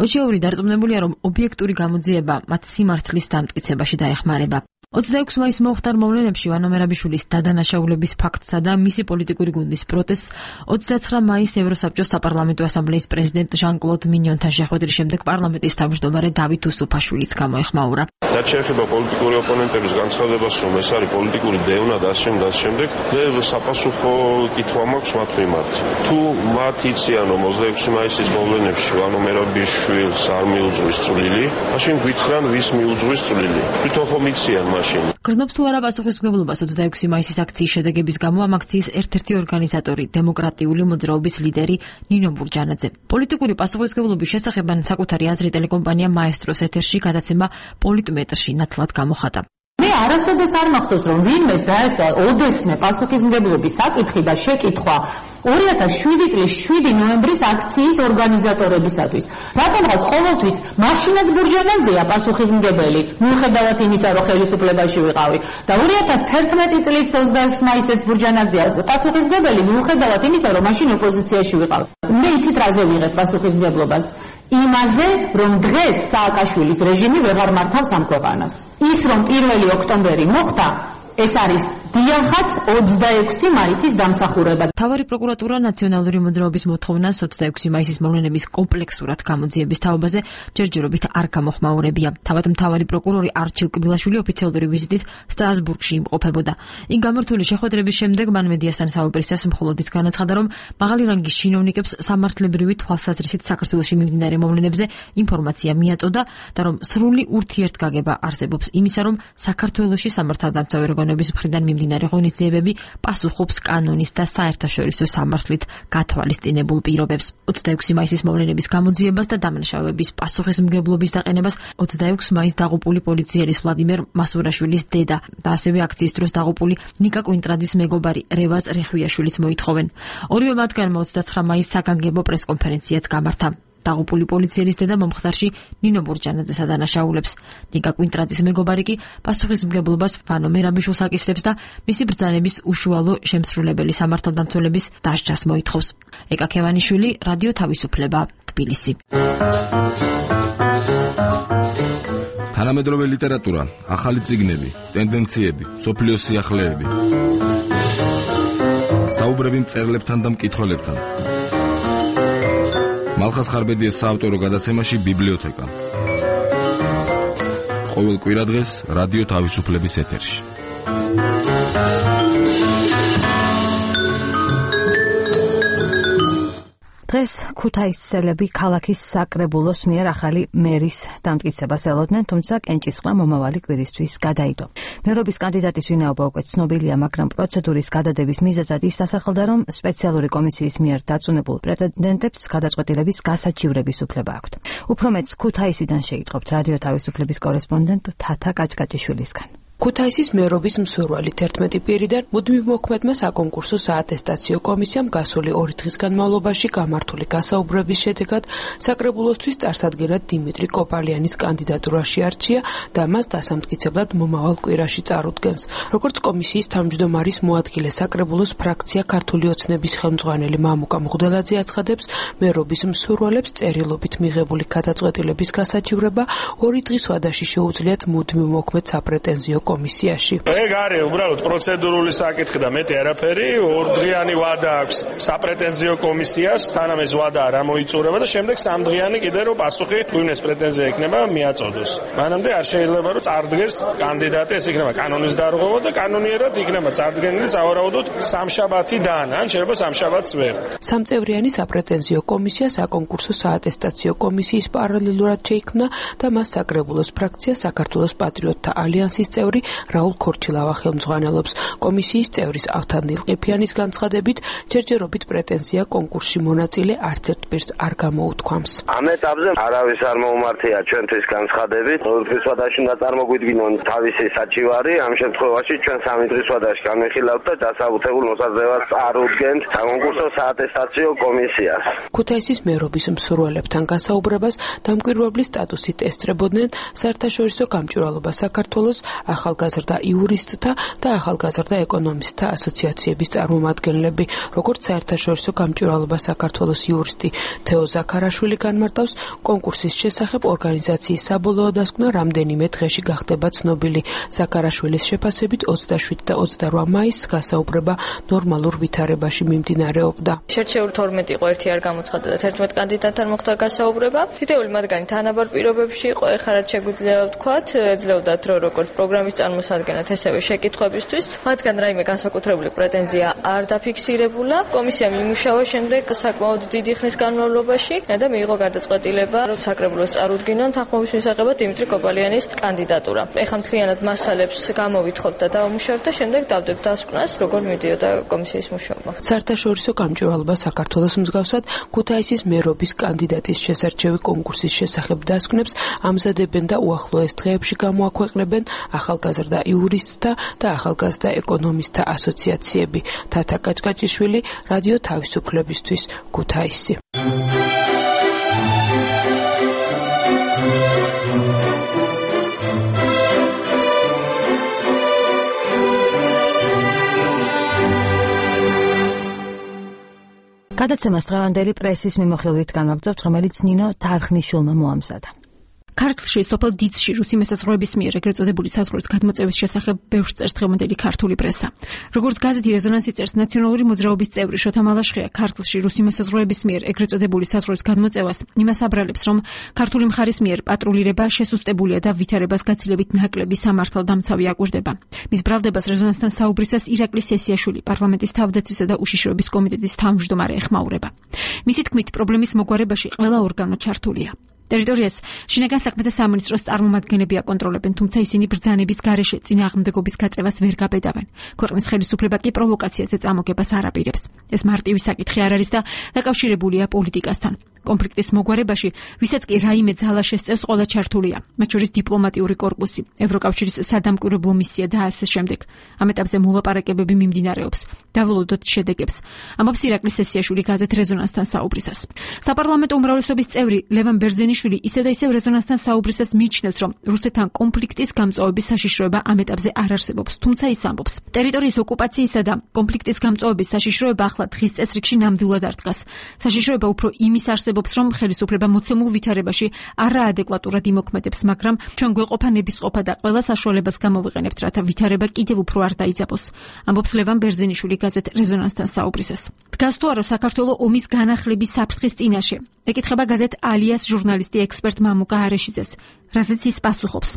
ოჩიაური დარწმუნებულია, რომ ობიექტური გამოძიება მათ სიმართლის დამტკიცებაში დაეხმარება. ოცდაექვსი მაისს მომხდარ მოვლენებში ვანო მერაბიშვილის დადანაშაულების ფაქტსა და მისი პოლიტიკური გუნდის პროტესტს ოცდაცხრა მაისს ევროსაბჭოს საპარლამენტო ასამბლეის პრეზიდენტ ჟან-კლოდ მინიონთან შეხვედრის შემდეგ პარლამენტის თავმჯდომარე დავით უსუფაშვილიც გამოეხმაურა. რაც შეეხება პოლიტიკური ოპონენტების განცხადებას, რომ ეს არის პოლიტიკური დევნა და ასე შემდეგ, შემდეგ, მე საპასუხო კითხვა მაქვს მათ მიმართ. თუ მათ იციან, რომ ოცდაექვსი მაისის მოვლენებში ვანო მერაბიშვილს არ მიუძღვის წვლილი, მაშინ გითხრან ვის მიუძღვის წვლილი. თვითონ ხომ იციან მაშინ. გრძნობს თუ არა პასუხისმგებლობას ოცდაექვსი მაისის აქციის შედეგების გამო ამ აქციის ერთ-ერთი ორგანიზატორი, დემოკრატიული მოძრაობის ლიდერი ნინო ბურჯანაძე. პოლიტიკური პასუხისმგებლობის შესახებ საკუთარი აზრი ტელეკომპანია მაესტროს ეთერში გადაცემა პოლიტმეტრში ნათლად გამოხატა. მე არასოდეს არ მახსოვს, რომ ვინმეს დაესვა ოდესმე პასუხისმგებლობის საკითხი და შეკითხვა ორი ათას შვიდი წლის შვიდი ნოემბრის აქციის ორგანიზატორებისათვის. რატომღაც ყოველთვის მაშინაც ბურჯანაძეა პასუხისმგებელი, მიუხედავად იმისა, რომ ხელისუფლებაში ვიყავი. და ორი ათას თერთმეტი წლის ოცდაექვსი მაისს ბურჯანაძეა პასუხისმგებელი, მიუხედავად იმისა, რომ მაშინ ოპოზიციაში ვიყავ. მე იცით რაზე ვიღებ პასუხისმგებლობას? იმაზე, რომ დღეს სააკაშვილის რეჟიმი ვეღარ მართავს ამ ქვეყანას. ის, რომ პირველი ოქტომბერი მოხდა, ეს არის დიახაც ოცდაექვსი მაისის დამსახურება. მთავარი პროკურატურა ნაციონალური მოძრაობის მოთხოვნას ოცდაექვსი მაისის მოვლენების კომპლექსურად გამოძიების თაობაზე ჯერჯერობით არ გამოხმაურებია. თავად მთავარი პროკურორი არჩილ კბილაშვილი ოფიციალური ვიზიტით სტრასბურგში იმყოფებოდა. იქ გამართული შეხვედრების შემდეგ მან მედიასთან საუბრისას მხოლოდ ის განაცხადა, რომ მაღალი რანგის чиновникებს სამართლებრივი თვალსაზრისით საქართველოში მიმდინარე მოვლენებზე ინფორმაცია მიაწოდა და რომ სრული ურთიერთგაგება არსებობს იმისა, რომ საქართველოში სამართალდამცავი ორგანოების მხრიდან მიმდინარე ღონისძიებები პასუხობს კანონის და საერთაშორისო სამართლით გათვალისწინებულ პირობებს. ოცდაექვსი მაისის მოვლენების გამოძიებას და დამნაშავეების პასუხისმგებლობის დაყენებას ოცდაექვსი მაისს დაღუპული პოლიციელის ვლადიმერ მასურაშვილის დედა და ასევე აქციის დროს დაღუპული ნიკა კვინტრადის მეგობარი რევაზ რეხვიაშვილიც მოითხოვენ. ორივე მათგანმა ოცდაცხრა მაისს საგანგებო პრესკონფერენციაც გამართა. დაღუპული პოლიციელის დედა მომხდარში ნინო ბურჯანაძეს ადანაშაულებს. ნიკა კვინტრადის მეგობარი კი პასუხისმგებლობას ვანო მერაბიშვილს აკისრებს და მისი ბრძანების უშუალო შემსრულებელი სამართალდამცველების დასჯას მოითხოვს. ეკა ქევანიშვილი, რადიო თავისუფლება, თბილისი. თანამედროვე ლიტერატურა, ახალი წიგნები, ტენდენციები, სოფლიოს სიახლეები. საუბრები მწერლებთან და მკითხველებთან. მალხას ხარბედიას საავტორო გადაცემაში ბიბლიოთეკა. ყოველ კვირადღეს რადიო თავისუფლების ეთერში. დღეს ქუთაისელები ქალაქის საკრებულოს მიერ ახალი მერის დამტკიცებას ელოდნენ, თუმცა კენჭისყრა მომავალი კვირისთვის გადაიდო. მერობის კანდიდატის ვინაობა უკვე ცნობილია, მაგრამ პროცედურის გადადების მიზეზად ის დასახელდა, რომ სპეციალური კომისიის მიერ დაწუნებულ პრეტენდენტებს გადაწყვეტილების გასაჩივრების უფლება აქვთ. უფრო მეტს ქუთაისიდან შეიტყობთ რადიო თავისუფლების კორესპონდენტ თათა კაჭკაჭიშვილისგან. ქუთაისის მერობის მსურველი თერთმეტი პირიდან მუდმივ მოქმედმა საკონკურსო საატესტაციო კომისიამ გასული ორი დღის განმავლობაში გამართული გასაუბრების შედეგად საკრებულოსთვის წარსადგენად დიმიტრი კოპალიანის კანდიდატურა შეარჩია და მას დასამტკიცებლად მომავალ კვირაში წარუდგენს. როგორც კომისიის თავმჯდომარის მოადგილე საკრებულოს ფრაქცია ქართული ოცნების ხელმძღვანელი მამუკა მღვდელაძე აცხადებს, მერობის მსურველებს წერილობით მიღებული გადაწყვეტილების გასაჩივრება ორი დღის ვადაში შეუძლიათ მუდმივ მოქმედ საპრეტენზიო კომისიაში. ეგ არის უბრალოდ პროცედურული საკითხი და მეტი არაფერი. ორდღიანი ვადა აქვს საპრეტენზიო კომისიას, თანამ ეს ვადა არ ამოიწურება და შემდეგ სამდღიანი კიდე რომ პასუხი ვინმეს პრეტენზია ექნება მიაწოდოს. მანამდე არ შეიძლება რომ წარდგეს კანდიდატი, ეს იქნება კანონის დარღვევა და კანონიერად იქნება წარდგენილი სავარაუდოდ სამშაბათიდან, ან შეიძლება სამშაბათს ვერ. სამწევრიანი საპრეტენზიო კომისია საკონკურსო საატესტაციო კომისიის პარალელურად შეიქმნა და მას საკრებულოს ფრაქცია საქართველოს პატრიოტთა ალიანსის წევრი რაულ ქორჩილავა ხელმძღვანელობს. კომისიის წევრის ავთანდილ ყიფიანის განცხადებით, ჯერჯერობით პრეტენზია კონკურსში მონაწილე არც ერთ პირს არ გამოუთქვამს. ამ ეტაპზე არავის არ მოუმართია ჩვენთვის განცხადებით. ორი დღის ვადაში უნდა წარმოგვიდგინონ თავისი საჩივარი. ამ შემთხვევაში ჩვენ სამი დღის ვადაში განვიხილავთ და დასაბუთებულ მოსაზრებას წარუდგენთ საკონკურსო საატესტაციო კომისიას. ქუთაისის მერობის მსურველებთან გასაუბრებას დამკვირვებლის სტატუსით ესწრებოდნენ საერთაშორისო გამჭვირვალობა საქართველოს ახალგაზრდა იურისტთა და ახალგაზრდა ეკონომისტთა ასოციაციების წარმომადგენლები. როგორც საერთაშორისო გამჭვირვალობა საქართველოს იურისტი თეო ზაქარაშვილი განმარტავს, კონკურსის შესახებ ორგანიზაციის საბოლოო დასკვნა რამდენიმე დღეში გახდება ცნობილი. ზაქარაშვილის შეფასებით ოცდაშვიდ და ოცდარვა მაისს გასაუბრება ნორმალურ ვითარებაში მიმდინარეობდა. შერჩეული თორმეტი იყო, ერთი არ გამოცხადდა და თერთმეტ კანდიდატთან მოხდა გასაუბრება. თითოეული მათგანი თანაბარ პირობებში იყო, ეხლა რაც შეგვიძლია ვთქვათ, ეძლეოდათ რომ როგორც პროგრამის წარმოსადგენად, ესევე შეკითხვებისთვის, მათგან რაიმე განსაკუთრებული პრეტენზია არ დაფიქსირებულა. კომისიამ იმუშავა შემდეგ საკმაოდ დიდი ხნის განმავლობაში და მიიღო გადაწყვეტილება, რომ საკრებულოს წარუდგინონ თანხმობის მისაღებად დიმიტრი კოპალიანის კანდიდატურა. ეხლა მთლიანად მასალებს გამოვითხოვთ და დავუმუშავებთ და შემდეგ დავდებთ დასკვნას, როგორ მიდიოდა კომისიის მუშაობა. საერთაშორისო გამჭვირვალობა საქართველოს მსგავსად ქუთაისის მერობის კანდიდატის შესარჩევი კონკურსის შესახებ დასკვნებს ამზადებენ და უახლოეს დღეებში გამოაქვეყნებენ ახალგაზრდა იურისტთა და ახალგაზრდა ეკონომისტთა ასოციაციები. თათა კაჭკაჭიშვილი, რადიო თავისუფლებისთვის, ქუთაისი. გადაცემას დღევანდელი პრესის მიმოხილვით განვაგრძობთ, რომელიც ნინო თარხნიშვილმა მოამზადა. ქართლში სოფელ დიცში რუსი მესაზღვრეების მიერ ეგრეთ წოდებული საზღვრის გადმოწევის შესახებ ბევრს წერს დღევანდელი ქართული პრესა. როგორც გაზეთი რეზონანსი წერს, ნაციონალური მოძრაობის წევრი შოთა მალაშხია ქართლში რუსი მესაზღვრეების მიერ ეგრეთ წოდებული საზღვრის გადმოწევას იმას აბრალებს, რომ ქართული მხარის მიერ პატრულირება შესუსტებულია და ვითარებას გაცილებით ნაკლები სამართალდამცავი აკვირდება. მის ბრალდებას რეზონანსთან საუბრისას ირაკლი სესიაშვილი, პარლამენტის თავდაცვისა და უშიშროების კომიტეტის თავმჯდომარე ეხმაურება. მისი თქმით, პრობლემის მოგვარებაში ყველა ორგანო ჩართულია. ტერიტორიას შინაგან საქმეთა სამინისტროს წარმომადგენლები აკონტროლებენ, თუმცა ისინი ბრძანების გარეშე წინააღმდეგობის გაწევას ვერ გაბედავენ. ქვეყნის ხელისუფლება კი პროვოკაციაზე წამოგებას არ აპირებს. ეს მარტივი საკითხი არ არის და დაკავშირებულია პოლიტიკასთან. კონფლიქტის მოგვარებაში, ვისაც კი რაიმე ძალა შესწევს, ყველა ჩართულია, მათ შორის დიპლომატიური კორპუსი, ევროკავშირის სადამკვირვებლო მისია და ასე შემდეგ. ამ ეტაპზე მოლაპარაკებები მიმდინარეობს. დაველოდოთ შედეგებს. ამბობს ირაკლი სესიაშვილი გაზეთ რეზონანსთან საუბრისას. საპარლამენტო უმრავლესობის წევრი ლევან ბერძენიშვილი ისევ და ისევ რეზონანსთან საუბრისას მიიჩნევს, რომ რუსეთთან კონფლიქტის გამწვავების საშიშროება ამ ეტაპზე არ არსებობს, თუმცა ის ამბობს, ტერიტორიის ოკუპაციისა და კონფლიქტის გამწვავების საშიშროება ახლა დღის წესრიგში ნამდვილად არ დგას. საშიშროება უფრო იმის არსებობს, რომ ხელისუფლება მოცემულ ვითარებაში არაადეკვატურად იმოქმედებს, მაგრამ ჩვენ გვეყოფა ნებისყოფა და ყველა საშუალებას გამოვიყენებთ, რათა ვითარება კიდევ უფრო არ დაიძაბოს. ამბობს ლევან ბერძენიშვილი გაზეთ რეზონანსთან საუბრისას. დგას თუ არა საქართველოს ომის განახლების საფრთხის წინაშე? ეკითხება გაზეთ ალიას ჟურნალისტი ექსპერტ მამუკა არეშიძეს. რაზეც ის პასუხობს.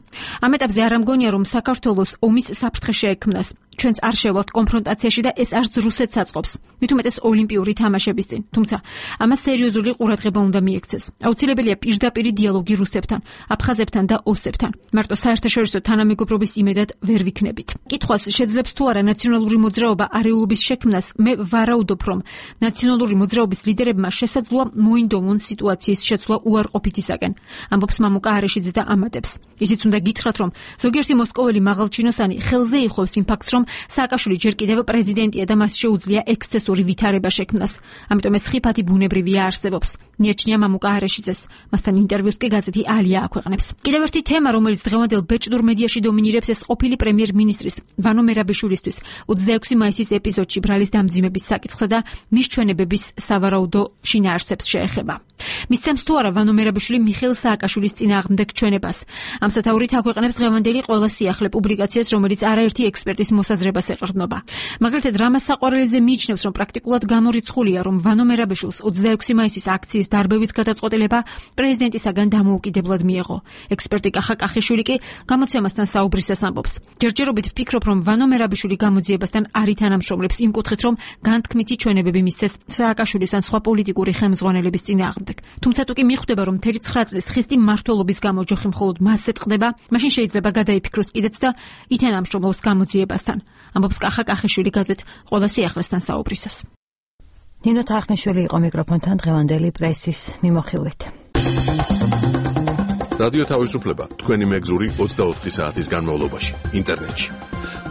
ამ ეტაპზე არ ამგონია, რომ საქართველოს ომის საფრთხე შეექმნას. ჩვენც არ შევალთ კონფრონტაციაში და ეს არც რუსეთს აწყობს. მით უმეტეს ოლიმპიური თამაშების წინ. თუმცა ამას სერიოზული ყურადღება უნდა მიექცეს. აუცილებელია პირდაპირი დიალოგი რუსებთან, აფხაზებთან და ოსებთან. მარტო საერთაშორისო თანამეგობრობის იმედად ვერ ვიქნებით. კითხვას შეძლებს თუ არა ნაციონალური მოძრაობა არეულობის შექმნას, მე ვარაუდობ, რომ ნაციონალური მოძრაობის ლიდერებმა შესაძლოა მოინდომონ სიტუაციის შეცვლა უარყოფითისაკენ. ამბობს მამუკა არეშიძე და ამატებს. ისიც უნდა გითხრათ, რომ ზოგიერთი მოსკოველი მაღალჩინოსანი ხელზე იხობს იმ ფაქტს, რომ სააკაშვილი ჯერ კიდევ პრეზიდენტია და მას შეუძლია ექსცესური ვითარება შექმნას. ამიტომ ეს ხიფათი ბუნებრივია არსებობს. მიაჩნია მამუკა არეშიძეს. მასთან ინტერვიუს კი გაზეთი ალია აქვეყნებს. კიდევ ერთი თემა, რომელიც დღევანდელ ბეჭდურ მედიაში დომინირებს, ეს ყოფილი პრემიერ-მინისტრის ვანო მერაბიშვილისთვის ოცდაექვსი მაისის ეპიზოდში ბრალის დამძიმების საკითხსა და მის ჩვენებების სავარაუდო შინაარსებს შეეხება. მისცემს თუ არა ვანო მერაბიშვილი მიხეილ სააკაშვილის წინააღმდეგ ჩვენებას. ამ სათაურით აქვეყნებს დღევანდელი ყველა სიახლე პუბლიკაციას, რომელიც არაერთი ექსპერტის მოსაზრებას ეყრდნობა. მაგალითად, რამაზ საყვარელიძე მიიჩნევს, რომ პრაქტიკულად გამორიცხულია, რომ ვანო მერაბიშვილს ოცდაექვსი მაისის აქციის დარბევის გადაწყვეტილება პრეზიდენტისაგან დამოუკიდებლად მიეღო. ექსპერტი კახა კახიშვილი კი გამოცემასთან საუბრისას ამბობს. ჯერჯერობით ვფიქრობ, რომ ვანო მერაბიშვილი გამოძიებასთან არ ითანამშრომლებს იმ კუთხით, რომ განთქმითი ჩვენებები მისცეს სააკაშვილის ან სხვა პოლიტიკური ხელმძღვანელების წინააღმდეგ. თუმცა თუ კი მიხვდება, რომ მთელი ცხრა წლის ხისტი მმართველობის გამო ჯოხი მხოლოდ მასზე ტყდება, მაშინ შეიძლება გადაიფიქროს კიდეც და ითანამშრომლოს გამოძიებასთან. ამბობს კახა კახიშვილი გაზეთ ყველა სიახლესთან საუბრისას. ნინო თარხნიშვილი იყო მიკროფონთან დღევანდელი პრესის მიმოხილვით. რადიო თავისუფლება თქვენი მეგზური ოცდაოთხი საათის განმავლობაში ინტერნეტში.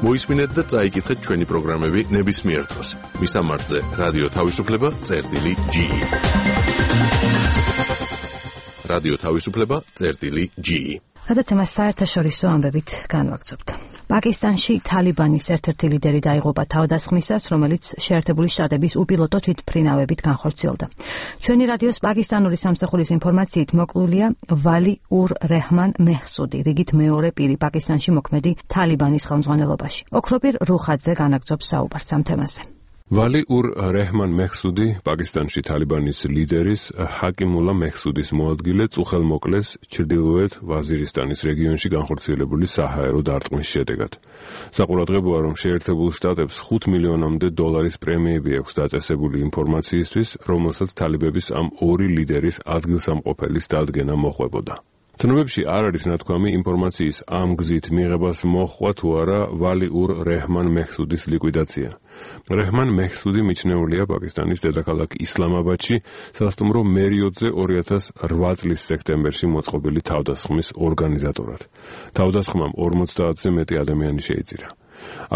მოისმინეთ და წაიკითხეთ ჩვენი პროგრამები ნებისმიერ დროს. მისამართზე რადიო თავისუფლება წერტილი ჯი. რადიო თავისუფლება წერტილი ჯი. გადაცემას საერთაშორისო ამბებით განვაგრძობთ. პაკისტანში თალიბანის ერთ-ერთი ლიდერი დაიღუპა თავდასხმისას, რომელიც შეერთებული შტატების უპილოტო თვითმფრინავებით განხორციელდა. ჩვენი რადიოს პაკისტანური სამსახურის ინფორმაციით მოკლულია ვალი ურ რეჰმან მეჰსუდი, რიგით მეორე პირი პაკისტანში მოქმედი თალიბანის ხელმძღვანელობაში. ოქროპირ რუხაძე განაგრძობს საუბარს ამ თემაზე. ვალი ურ რეჰმან მეჰსუდი პაკისტანში თალიბანის ლიდერის ჰაკიმულა მეჰსუდის მოადგილე წუხელმოკლეს ჩრდილოეთ ვაზირისტანის რეგიონში განხორციელებული საჰაერო დარტყმის შედეგად. საყურადღებოა, რომ შეერთებულ შტატებს ხუთ მილიონამდე დოლარის პრემიები აქვს დაწესებული ინფორმაციისთვის, რომელსაც თალიბების ამ ორი ლიდერის ადგილსამყოფელის დადგენა მოჰყვებოდა. ცნობებში არ არის ნათქვამი ინფორმაციის ამ გზით მიღებას მოჰყვა თუ არა ვალი ურ რეჰმან მეჰსუდის ლიკვიდაცია. რეჰმან მეჰსუდი მიჩნეულია პაკისტანის დედაქალაქ ისლამაბადში სასტუმრო მერიოტზე ორი ათას ოთხ წლის სექტემბერში მოწყობილი თავდასხმის ორგანიზატორად. თავდასხმამ ორმოცდაათზე მეტი ადამიანი შეიწირა.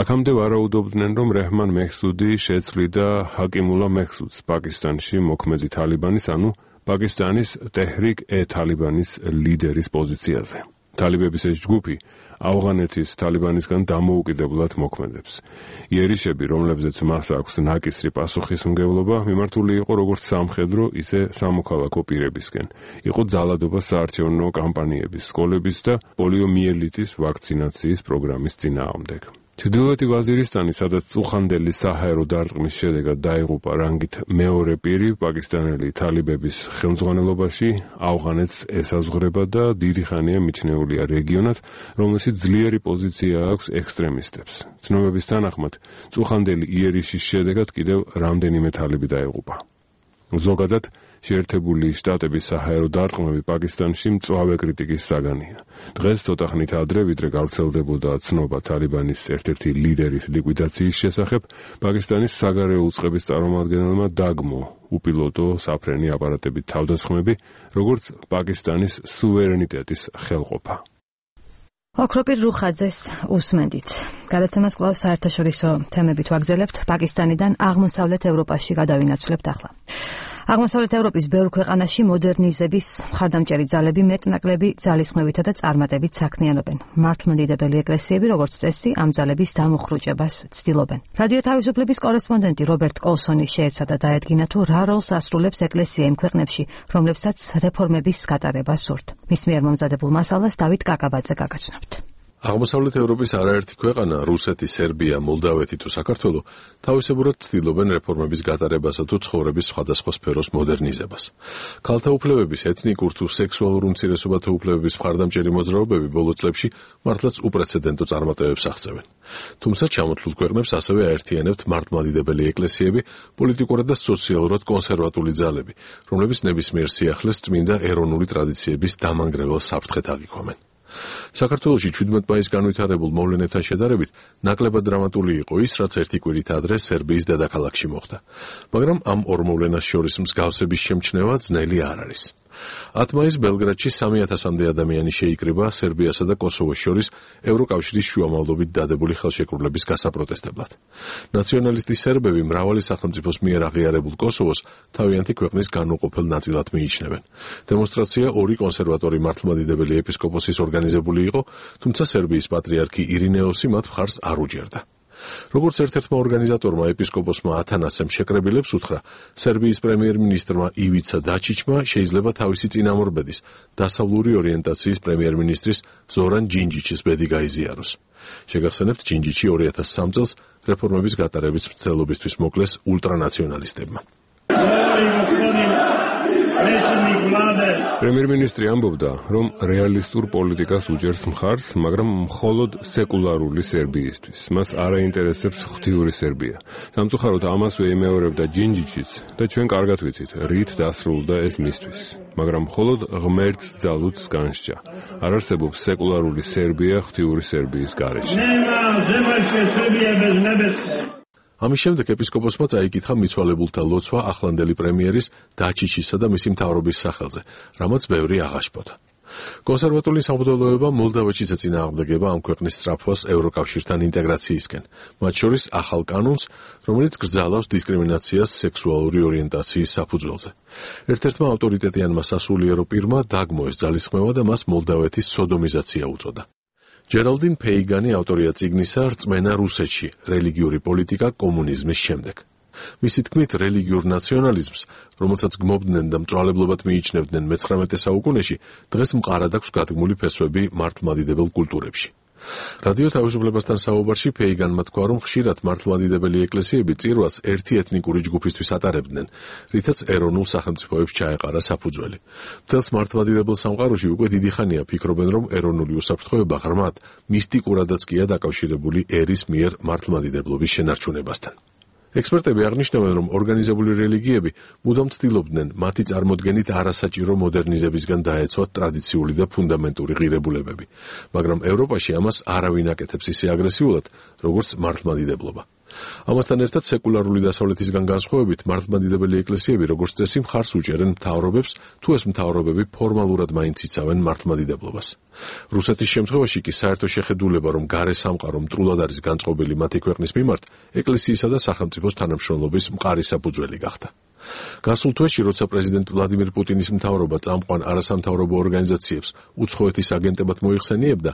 აქამდე ვარაუდობდნენ, რომ რეჰმან მეჰსუდი შეცვლიდა ჰაკიმულა მეჰსუდს პაკისტანში მოქმედი თალიბანის, ანუ პაკისტანის ტეჰრიკ-ე-თალიბანის ლიდერის პოზიციაზე. თალიბების ეს ჯგუფი ავღანეთის თალიბანისგან დამოუკიდებლად მოქმედებს. იერიშები, რომლებზეც მას აქვს ნაკისრი პასუხისმგებლობა, მიმართული იყო როგორც სამხედრო, ისე სამოქალაქო პირებისკენ. იყო ძალადობა საარჩევნო კამპანიების, სკოლების და პოლიომიელიტის ვაქცინაციის პროგრამის წინააღმდეგ. ჩრდილოეთი ვაზირისტანი, სადაც წუხანდელი საჰაერო დარტყმის შედეგად დაიღუპა რანგით მეორე პირი პაკისტანელი თალიბების ხელმძღვანელობაში, ავღანეთს ესაზღვრება და დიდი ხანია მიჩნეულია რეგიონად, რომელშიც ძლიერი პოზიცია აქვს ექსტრემისტებს. ცნობების თანახმად, წუხანდელი იერიშის შედეგად კიდევ რამდენიმე თალიბი დაიღუპა. ზოგადად, შეერთებული შტატების საჰაერო დარტყმები პაკისტანში მწვავე კრიტიკის საგანია. დღეს ცოტა ხნით ადრე, ვიდრე გავრცელდებოდა ცნობა თალიბანის ერთ-ერთი ლიდერის ლიკვიდაციის შესახებ, პაკისტანის საგარეო უწყების წარმომადგენელმა დაგმო უპილოტო საფრენი აპარატებით თავდასხმები, როგორც პაკისტანის სუვერენიტეტის ხელყოფა. ოქროპირ რუხაძეს უსმენდით. გადაცემას კვლავ საერთაშორისო თემებით ვაგზელებთ. პაკისტანიდან აღმოსავლეთ ევროპაში გადავინაცვლებთ ახლა. აღმოსავლეთ ევროპის ბევრ ქვეყანაში მოდერნიზების მხარდამჭერი ძალები მეტნაკლები ძალისხმევითა და წარმატებით საქმიანობენ. მართლმადიდებელი ეკლესიები, როგორც წესი, ამ ძალების დამუხრუჭებას ცდილობენ. რადიო თავისუფლების კორესპონდენტი რობერტ კოლსონი შეეცადა დაედგინა თუ რა როლს ასრულებს ეკლესია იმ ქვეყნებში, რომლებსაც რეფორმების გატარება სურთ. მის მიერ მომზადებულ მასალას დავით კაკაბაძე გაგაცნობთ. აღმოსავლეთ ევროპის არაერთი ქვეყანა, რუსეთი, სერბია, მოლდავეთი თუ საქართველო, თავისებურად ცდილობენ რეფორმების გატარებასა თუ ცხოვრების სხვადასხვა სფეროს მოდერნიზებას. ქალთა უფლებების, ეთნიკურ თუ სექსუალურ უმცირესობათა უფლებების მხარდამჭერი მოძრაობები ბოლო წლებში მართლაც უპრეცედენტო წარმატებებს აღწევენ. თუმცა ჩამოთვლილ ქვეყნებს ასევე აერთიანებთ მართლმადიდებელი ეკლესიები, პოლიტიკურად და სოციალურად კონსერვატული ძალები, რომლებიც ნებისმიერ სიახლეს წმინდა ეროვნული ტრადიციების დამანგრეველ საფრთხეთ აღიქვამენ. საქართველოში შვიდმეტ მაისს განვითარებულ მოვლენებთან შედარებით ნაკლებად დრამატული იყო ის, რაც ერთი კვირით ადრე სერბიის დედაქალაქში მოხდა. მაგრამ ამ ორ მოვლენას შორის მსგავსების შემჩნევა ძნელი არ არის. ათ მაისს ბელგრადში სამი ათასამდე ადამიანი შეიკრიბა სერბიასა და კოსოვოს შორის ევროკავშირის შუამავლობით დადებული ხელშეკრულების გასაპროტესტებლად. ნაციონალისტი სერბები მრავალი სახელმწიფოს მიერ აღიარებულ კოსოვოს თავიანთი ქვეყნის განუყოფელ ნაწილად მიიჩნევენ. დემონსტრაცია ორი კონსერვატორი მართლმადიდებელი ეპისკოპოსის ორგანიზებული იყო, თუმცა სერბიის პატრიარქი ირინეოსი მათ მხარს არ უჯერდა. როგორც ერთ-ერთმა ორგანიზატორმა ეპისკოპოსმა ათანასემ შეკრებილებს უთხრა, სერბიის პრემიერ-მინისტრმა ივიცა დაჩიჩმა შეიძლება თავისი წინამორბედის, დასავლური ორიენტაციის პრემიერ-მინისტრის ზორან ჯინჯიჩის ბედი გაიზიაროს. შეგახსენებთ, ჯინჯიჩი ორი ათას სამი წელს რეფორმების გატარების მცდელობისთვის მოკლეს ულტრანაციონალისტებმა. პრემიერ-მინისტრი ამბობდა, რომ რეალისტურ პოლიტიკას უჭერს მხარს, მაგრამ მხოლოდ სეკულარული სერბიისთვის. მას არ აინტერესებს ღვთიური სერბია. სამწუხაროდ ამასვე იმეორებდა ჯინჯიჩიც და ჩვენ კარგად ვიცით, რით დასრულდა ეს მისთვის. მაგრამ მხოლოდ ღმერთს ძალუც განსჯა. არ არსებობს სეკულარული სერბია ღვთიური სერბიის გარეშე. ამის შემდეგ ეპისკოპოსმა წაიკითხა მიცვალებულთა ლოცვა ახლანდელი პრემიერის დაჩიჩისა და მისი მთავრობის სახელზე, რამაც ბევრი აღაშფოთა. კონსერვატული სამღვდელოება მოლდავეთშიც ეწინააღმდეგება ამ ქვეყნის სწრაფვას ევროკავშირთან ინტეგრაციისკენ, მათ შორის ახალ კანონს, რომელიც გრძალავს დისკრიმინაციას სექსუალური ორიენტაციის საფუძველზე. ერთ-ერთმა ავტორიტეტიანმა სასულიერო პირმა დაგმო ეს ძალისხმევა და მას მოლდავეთის სოდომიზაცია უწოდა. ჯერალდინ პეიგანი ავტორია წიგნისა „რწმენა რუსეთში: რელიგიური პოლიტიკა კომუნიზმის შემდეგ“. მისი თქმით, რელიგიურ ნაციონალიზმს, რომელსაც გმობდნენ და მწვალებლობად მიიჩნევდნენ მეცხრამეტე საუკუნეში, დღეს მყარად აქვს გადგმული ფესვები მართლმადიდებელ კულტურებში. რადიო თავისუფლებასთან საუბარში პეიგანმა თქვა, რომ ხშირად მართლმადიდებელი ეკლესიები წირვას ერთი ეთნიკური ჯგუფისთვის ატარებდნენ, რითაც ეროვნულ სახელმწიფოებს ჩაეყარა საფუძველი. მთელს მართლმადიდებელ სამყაროში უკვე დიდი ხანია ფიქრობენ, რომ ეროვნული უსაფრთხოება ღრმად მისტიკურადაც კია დაკავშირებული ერის მიერ მართლმადიდებლობის შენარჩუნებასთან. ექსპერტები აღნიშნავენ, რომ ორგანიზებული რელიგიები მუდამ ცდილობდნენ მათი წარმოდგენით არასაჭირო მოდერნიზებისგან დაეცვათ ტრადიციული და ფუნდამენტური ღირებულებები, მაგრამ ევროპაში ამას არავინ აკეთებს ისე აგრესიულად, როგორც მართლმადიდებლობა. ამასთან ერთად სეკულარული დასავლეთისგან განსხვავებით მართლმადიდებელი ეკლესიები როგორც წესი მხარს უჭერენ მთავრობებს, თუ ეს მთავრობები ფორმალურად მაინც იცავენ მართლმადიდებლობას. რუსეთის შემთხვევაში კი საერთო შეხედულება, რომ გარე სამყარო მტრულად არის განწყობილი მათი ქვეყნის მიმართ, ეკლესიისა და სახელმწიფოს თანამშრომლობის მყარი საფუძველი გახდა. გასულ თვეში, როცა პრეზიდენტ ვლადიმირ პუტინის მთავრობა წამყვან არასამთავრობო ორგანიზაციებს უცხოეთის აგენტებად მოიხსენიებდა,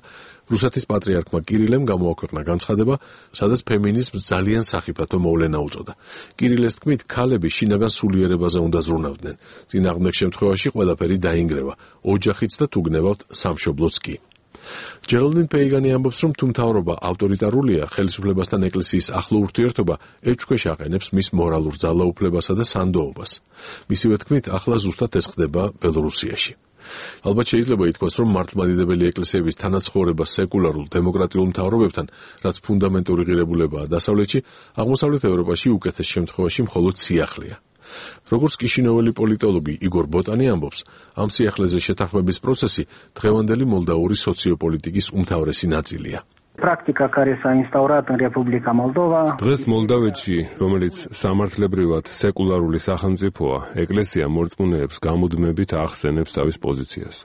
რუსეთის პატრიარქმა კირილემ გამოაქვეყნა განცხადება, სადაც ფემინიზმს ძალიან სახიფათო მოვლენა უწოდა. კირილეს თქმით, ქალები შინაგან სულიერებაზე უნდა ზრუნავდნენ. წინააღმდეგ შემთხვევაში ყველაფერი დაინგრევა, ოჯახიც და თუ გნებავთ, სამშობლოც კი. ჯერალდინ პეიგანი ამბობს, რომ თუ მთავრობა ავტორიტარულია, ხელისუფლებასთან ეკლესიის ახლო ურთიერთობა ეჭვქვეშ აყენებს მის მორალურ ძალაუფლებასა და სანდოობას. მისივე თქმით, ახლა ზუსტად ეს ხდება ბელორუსიაში. ალბათ შეიძლება ითქვას, რომ მართლმადიდებელი ეკლესიების თანაცხოვრება სეკულარულ დემოკრატიულ მთავრობებთან, რაც ფუნდამენტური ღირებულებაა დასავლეთში, აღმოსავლეთ ევროპაში უკეთეს შემთხვევაში მხოლოდ სიახლეა. როგორც კიშინოველი პოლიტოლოგი იგორ ბოტანი ამბობს, ამ სიახლეზე შეთანხმების პროცესი დღევანდელი მოლდაური სოციოპოლიტიკის უმთავრესი ნაწილია. Practica care s-a instaurat în Republica Moldova. დღეს მოლდავეთში, რომელიც სამართლებრივად სეკულარული სახელმწიფოა, ეკლესია მორწმუნეებს გამუდმებით ახსენებს თავის პოზიციას.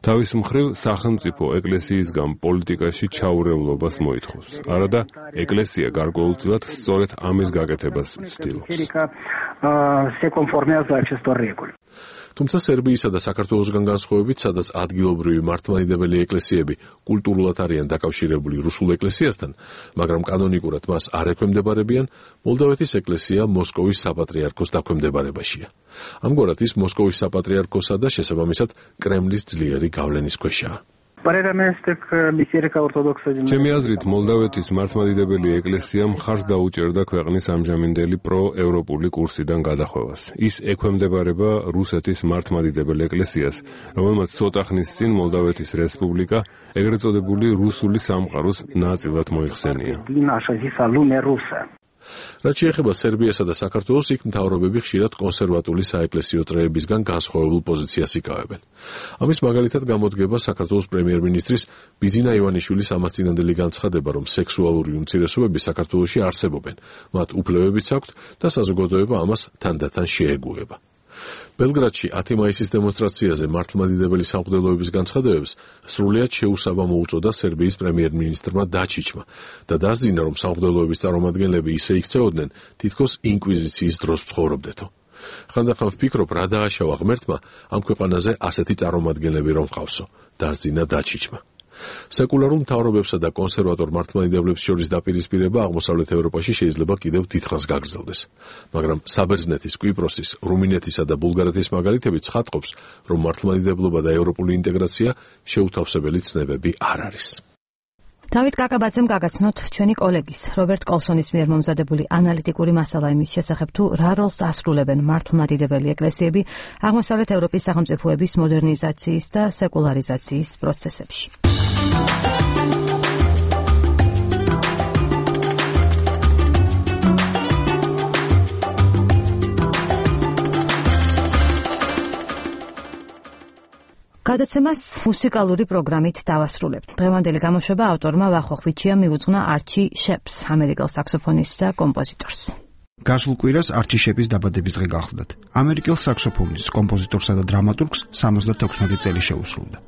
თავის მხრივ, სახელმწიფო ეკლესიისგან პოლიტიკაში ჩაურევლობას მოითხოვს. არადა ეკლესია გარკვეულწილად სწორედ ამის გაკეთებას ცდილობს. Se conformează acestor reguli. თუმცა სერბიისა და საქართველოსგან განსხვავებით, სადაც ადგილობრივი მართლმადიდებელი ეკლესიები კულტურულად არიან დაკავშირებული რუსულ ეკლესიასთან, მაგრამ კანონიკურად მას არ ექვემდებარებიან, მოლდავეთის ეკლესია მოსკოვის საპატრიარქოს დაქვემდებარებაშია. ამგვარად ის მოსკოვის საპატრიარქოსა და შესაბამისად კრემლის ძლიერი გავლენის ქვეშაა. Părerea mea este că Biserica Ortodoxă din ჩემი აზრით, მოლდავეთის მართლმადიდებელი ეკლესია მხარს დაუჭერდა ქვეყნის ამჟამინდელი პროევროპული კურსიდან გადახვევას. ის ექვემდებარება რუსეთის მართლმადიდებელ ეკლესიას, რომელმაც ცოტა ხნის წინ მოლდავეთის რესპუბლიკა, ეგრეთ წოდებული რუსული სამყაროს ნაწილად მოიხსენია. din așa zisa lume rusă. რაც შეეხება სერბიასა და საქართველოს, იქ მთავრობები ხშირად კონსერვატული საეკლესიო წრეებისგან განსხვავებულ პოზიციას იკავებენ. ამის მაგალითად გამოდგება საქართველოს პრემიერ-მინისტრის ბიძინა ივანიშვილის ამასწინებელი განცხადება, რომ სექსუალური უმცირესობები საქართველოში არსებობენ, მათ უფლებებიც აქვთ და საზოგადოება ამას თანდათან შეეგუება. ბელგრადში ათი მაისის დემონსტრაციაზე მართლმადიდებელი სამღვდელოების განცხადებებს სრულიად შეუსაბამო უწოდა სერბიის პრემიერ-მინისტრმა დაჩიჩმა და დასძინა, რომ სამღვდელოების წარმომადგენლები ისე იქცეოდნენ, თითქოს ინკვიზიციის დროს ცხოვრობდეთო. ხანდახან ვფიქრობ, რა დააშავა ღმერთმა ამ ქვეყანაზე ასეთი წარმომადგენლები რომ ყავსო, დასძინა დაჩიჩმა. სეკულარულ მთავრობებსა და კონსერვატორ მართლმადიდებლებს შორის დაპირისპირება აღმოსავლეთ ევროპაში შეიძლება კიდევ დიდხანს გაგრძელდეს. მაგრამ საბერძნეთის, კვიპროსის, რუმინეთისა და ბულგარეთის მაგალითები ცხადყოფს, რომ მართლმადიდებლობა და ევროპული ინტეგრაცია შეუთავსებელი ცნებები არ არის. დავით კაკაბაძემ გაგაცნოთ ჩვენი კოლეგის რობერტ კოლსონის მიერ მომზადებული ანალიტიკური მასალა იმის შესახებ, თუ რა როლს ასრულებენ მართლმადიდებელი ეკლესიები აღმოსავლეთ ევროპის სახელმწიფოების მოდერნიზაციის და სეკულარიზაციის პროცესებში. გადაცემას მუსიკალური პროგრამით დავასრულებთ. დღევანდელი გამოშვება ავტორმა ვახო ხვიჩიამ მიუძღვნა არჩი შეპს, ამერიკელ საქსოფონისტს და კომპოზიტორს. გასულ კვირას არჩი შეპის დაბადების დღე გახლდათ. ამერიკელ საქსოფონისტს, კომპოზიტორსა და დრამატურგს სამოცდათექვსმეტი წელი შეუსრულდა.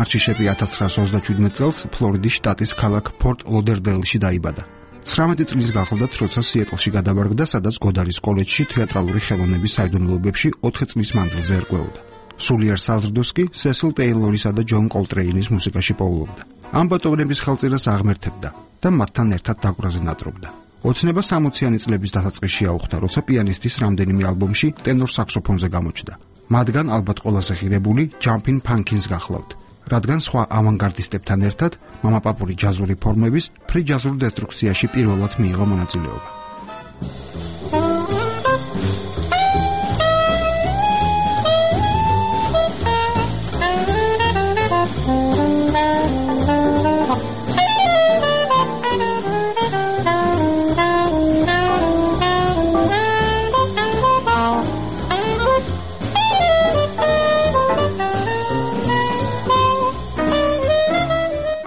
არჩიშეპი ათას ცხრაასი ოცდაშვიდმეტ წელს ფლორიდის შტატის ქალაქ ფორტ ლოდერდეილში დაიბადა. ცხრამეტი წლის გახლდათ, როცა სიეტლში გადავარგდა, სადაც გოდარის კოლეჯში თეატრალური ხელოვნების საიდუმლოებებში ოთხი წლის მანძილზე ერკვეოდა. სულიერ საზრდოს კი სესილ ტეილორისა და ჯონ კოლტრეინის მუსიკაში პოულობდა. ამბატოვნების ხელწირას აღმერთებდა და მათთან ერთად დაკვრაზე ნატრობდა. ოცნება სამოციანი წლების დასაწყისში აუხდა, როცა პიანისტის რამდენიმე ალბომში ტენორ საქსოფონზე გამოჩნდა. მათგან ალბათ ყველაზე ღირებული Jumpin' Pumpkins გახლავთ, რადგან სხვა ავანგარდისტებთან ერთად მამაპაპური ჯაზური ფორმების ფრი ჯაზურ დესტრუქციაში პირველად მიიღო მონაწილეობა.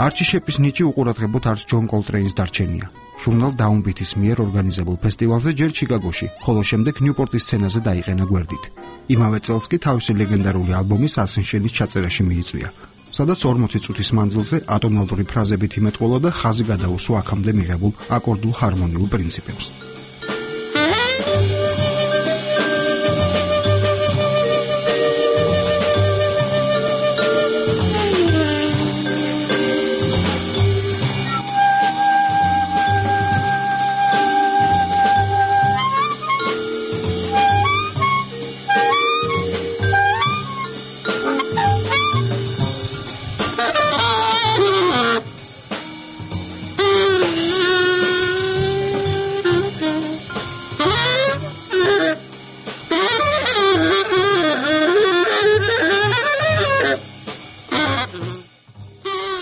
არჩიშეპის ნიჭი უყურადღებოდ არც ჯონ კოლტრეინის დარჩენია. ჟურნალ დაუნბითის მიერ ორგანიზებულ ფესტივალზე ჯერ ჩიკაგოში, ხოლო შემდეგ ნიუპორტის სცენაზე დაიყენა გვერდით. იმავე წელს კი თავისი ლეგენდარული ალბომის ასენშენის ჩაწერაში მიიწვია, სადაც ორმოცი წუთის მანძილზე ატონალური ფრაზებით იმეტყველა და ხაზი გადაუსვა აქამდე მიღებულ აკორდულ ჰარმონიულ პრინციპებს.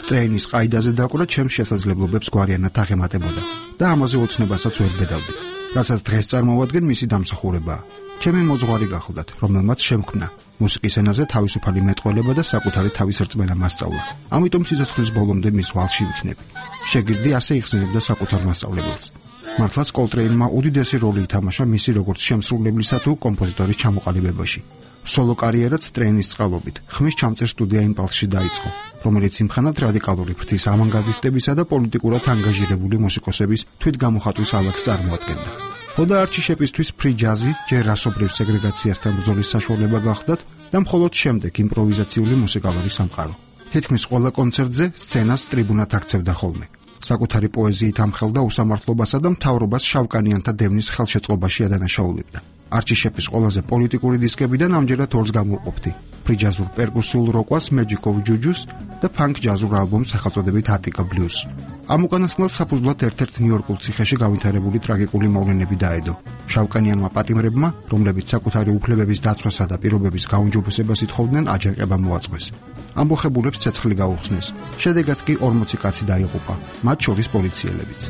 ტრეინის ყაიდაზე დაკვრა ჩემს შესაძლებლობებს გვარიანად აღემატებოდა და ამაზე ოცნებასაც ვერ ბედავდი, რასაც დღეს წარმოვადგენ მისი დამსახურებაა. ჩემი მოძღვარი გახლდათ, რომელმაც შემქმნა მუსიკის ენაზე თავისუფალი მეტყველება და საკუთარი თავის რწმენა მასწავლა. ამიტომ სიცოცხლის ბოლომდე მის ვალში ვიქნები. შეგირდი ასე იხსენებდა საკუთარ მასწავლებელს. მართლაც კოლტრეინმა უდიდესი როლი ითამაშა მისი როგორც შემსრულებლისა თუ კომპოზიტორის ჩამოყალიბებაში. სოლო კარიერაც ტრეინის წყალობით ხმის ჩამწერ სტუდია იმპალსში დაიწყო, რომელიც იმხანად რადიკალური ფრთის ავანგარდისტებისა და პოლიტიკურად ანგაჟირებული მუსიკოსების თვითგამოხატვის ალაგს წარმოადგენდა. ხოდა არჩიშეპისთვის ფრი ჯაზი ჯერ რასობრივ სეგრეგაციასთან ბრძოლის საშუალება გახდათ და მხოლოდ შემდეგ იმპროვიზაციული მუსიკალური სამყარო. თითქმის ყველა კონცერტზე სცენას ტრიბუნად აქცევდა ხოლმე. საკუთარი პოეზიით ამხელდა უსამართლობასა და მთავრობას შავკანიანთა დევნის ხელშეწყობაში ადანაშაულებდა. არჩიშეპის ყველაზე პოლიტიკური დისკებიდან ამჯერად ორს გამოვყოფდი: ფრი ჯაზურ პერკუსიულ როკვას Magic of Juju's და ფანკ ჯაზურ ალბომს სახელწოდებით Attica Blues. ამ უკანასკნელს საფუძვლად ერთ-ერთ ნიუ-იორკულ ციხეში გავითარებული ტრაგიკული მოვლენები დაედო. შავკანიანმა პატიმრებმა, რომლებიც საკუთარი უფლებების დაცვასა და პირობების გაუმჯობესებას ითხოვდნენ, აჯანყება მოაწყვეს. ამბოხებულებს ცეცხლი გაუხსნეს. შედეგად კი ორმოცი კაცი დაიღუპა, მათ შორის პოლიციელებიც.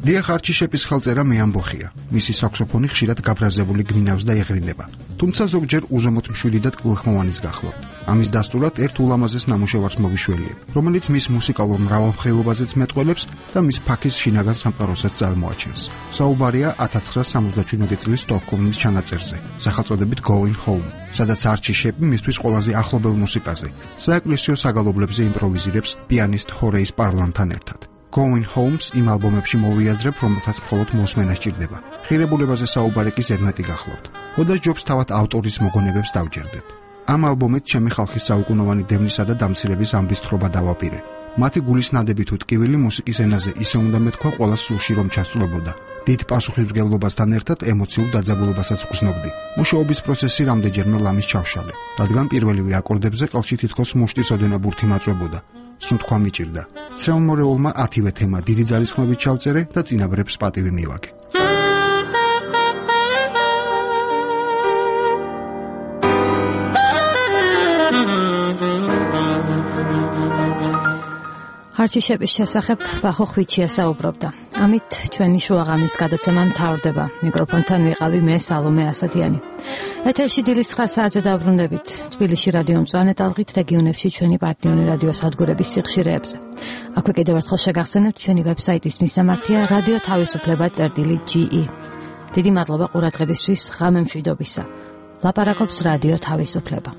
დიახ, არჩიშეპის ხელწერა მეამბოხია. მისი საქსოფონი ხშირად გაბრაზებული გვინავს და ეღრინება. თუმცა ზოგჯერ უზომოდ მშვიდი და ტკბილხმოვანის გახლავთ. ამის დასტურად ერთ ულამაზეს ნამუშევარს მოვიშველიებ, რომელიც მის მუსიკალურ მრავალმხრივობაზეც მეტყველებს და მის ფაქის შინაგან სამყაროსაც წარმოაჩენს. საუბარია ათას ცხრაასი სამოცდაშვიდმეტი წლის სტოკჰოლმის ჩანაწერზე, სახელწოდებით Going Home, სადაც არჩიშეპი მისთვის ყველაზე ახლობელ მუსიკაზე, საეკლესიო საგალობლებზე იმპროვიზირებს პიანისტ ჰორეის პარლანთან ერთად. Going Homes იმ ალბომებში მოვიაზრებ, რომელთაც მხოლოდ მოსმენა სჭირდება. ღირებულებაზე საუბარი კი ზედმეტი გახლავთ. ხოდა ჯობს თავად ავტორის მოგონებებს დავჯერდეთ. ამ ალბომით ჩემი ხალხის საუკუნოვანი დევნისა და დამცირების ამბისთხრობა დავაპირე. მათი გულის ნადები თუ ტკივილი მუსიკის ენაზე ისე უნდა მეთქვა ყველა სულში რომ ჩასწვლებოდა. დიდ პასუხისმგებლობასთან ერთად ემოციურ დაძაბულობასაც ვგრძნობდი. მუშაობის პროცესი რამდენჯერმე ლამის ჩავშალე, რადგან პირველივე აკორდებზე ყელში თითქოს მუშტის ოდენა ბურთი მაწვებოდა. სუნთქვა მიჭირდა. ცრემლმორეულმა ათივე თემა დიდი ძალისხმევით ჩავწერე და წინაბრებს პატივი მივაგე. არჩიშების შესახებ ვახო ხვიჩია საუბრობდა. ამით ჩვენი შუაღამის გადაცემა მთავრდება. მიკროფონთან ვიყავი მე სალომე ასათიანი. ეთერში დილის ცხრა საათზე დაბრუნდებით. თბილისში რადიო მწვანე ტალღით, რეგიონებში ჩვენი პარტნიორი რადიო სადგურების სიხშირეებზე. აქვე კიდევ ერთხელ შეგახსენებთ ჩვენი ვებსაიტის მისამართია რადიო თავისუფლება წერტილი ჯი ი. დიდი მადლობა ყურადღებისთვის, ღამე მშვიდობისა. ლაპარაკობს რადიო თავისუფლება.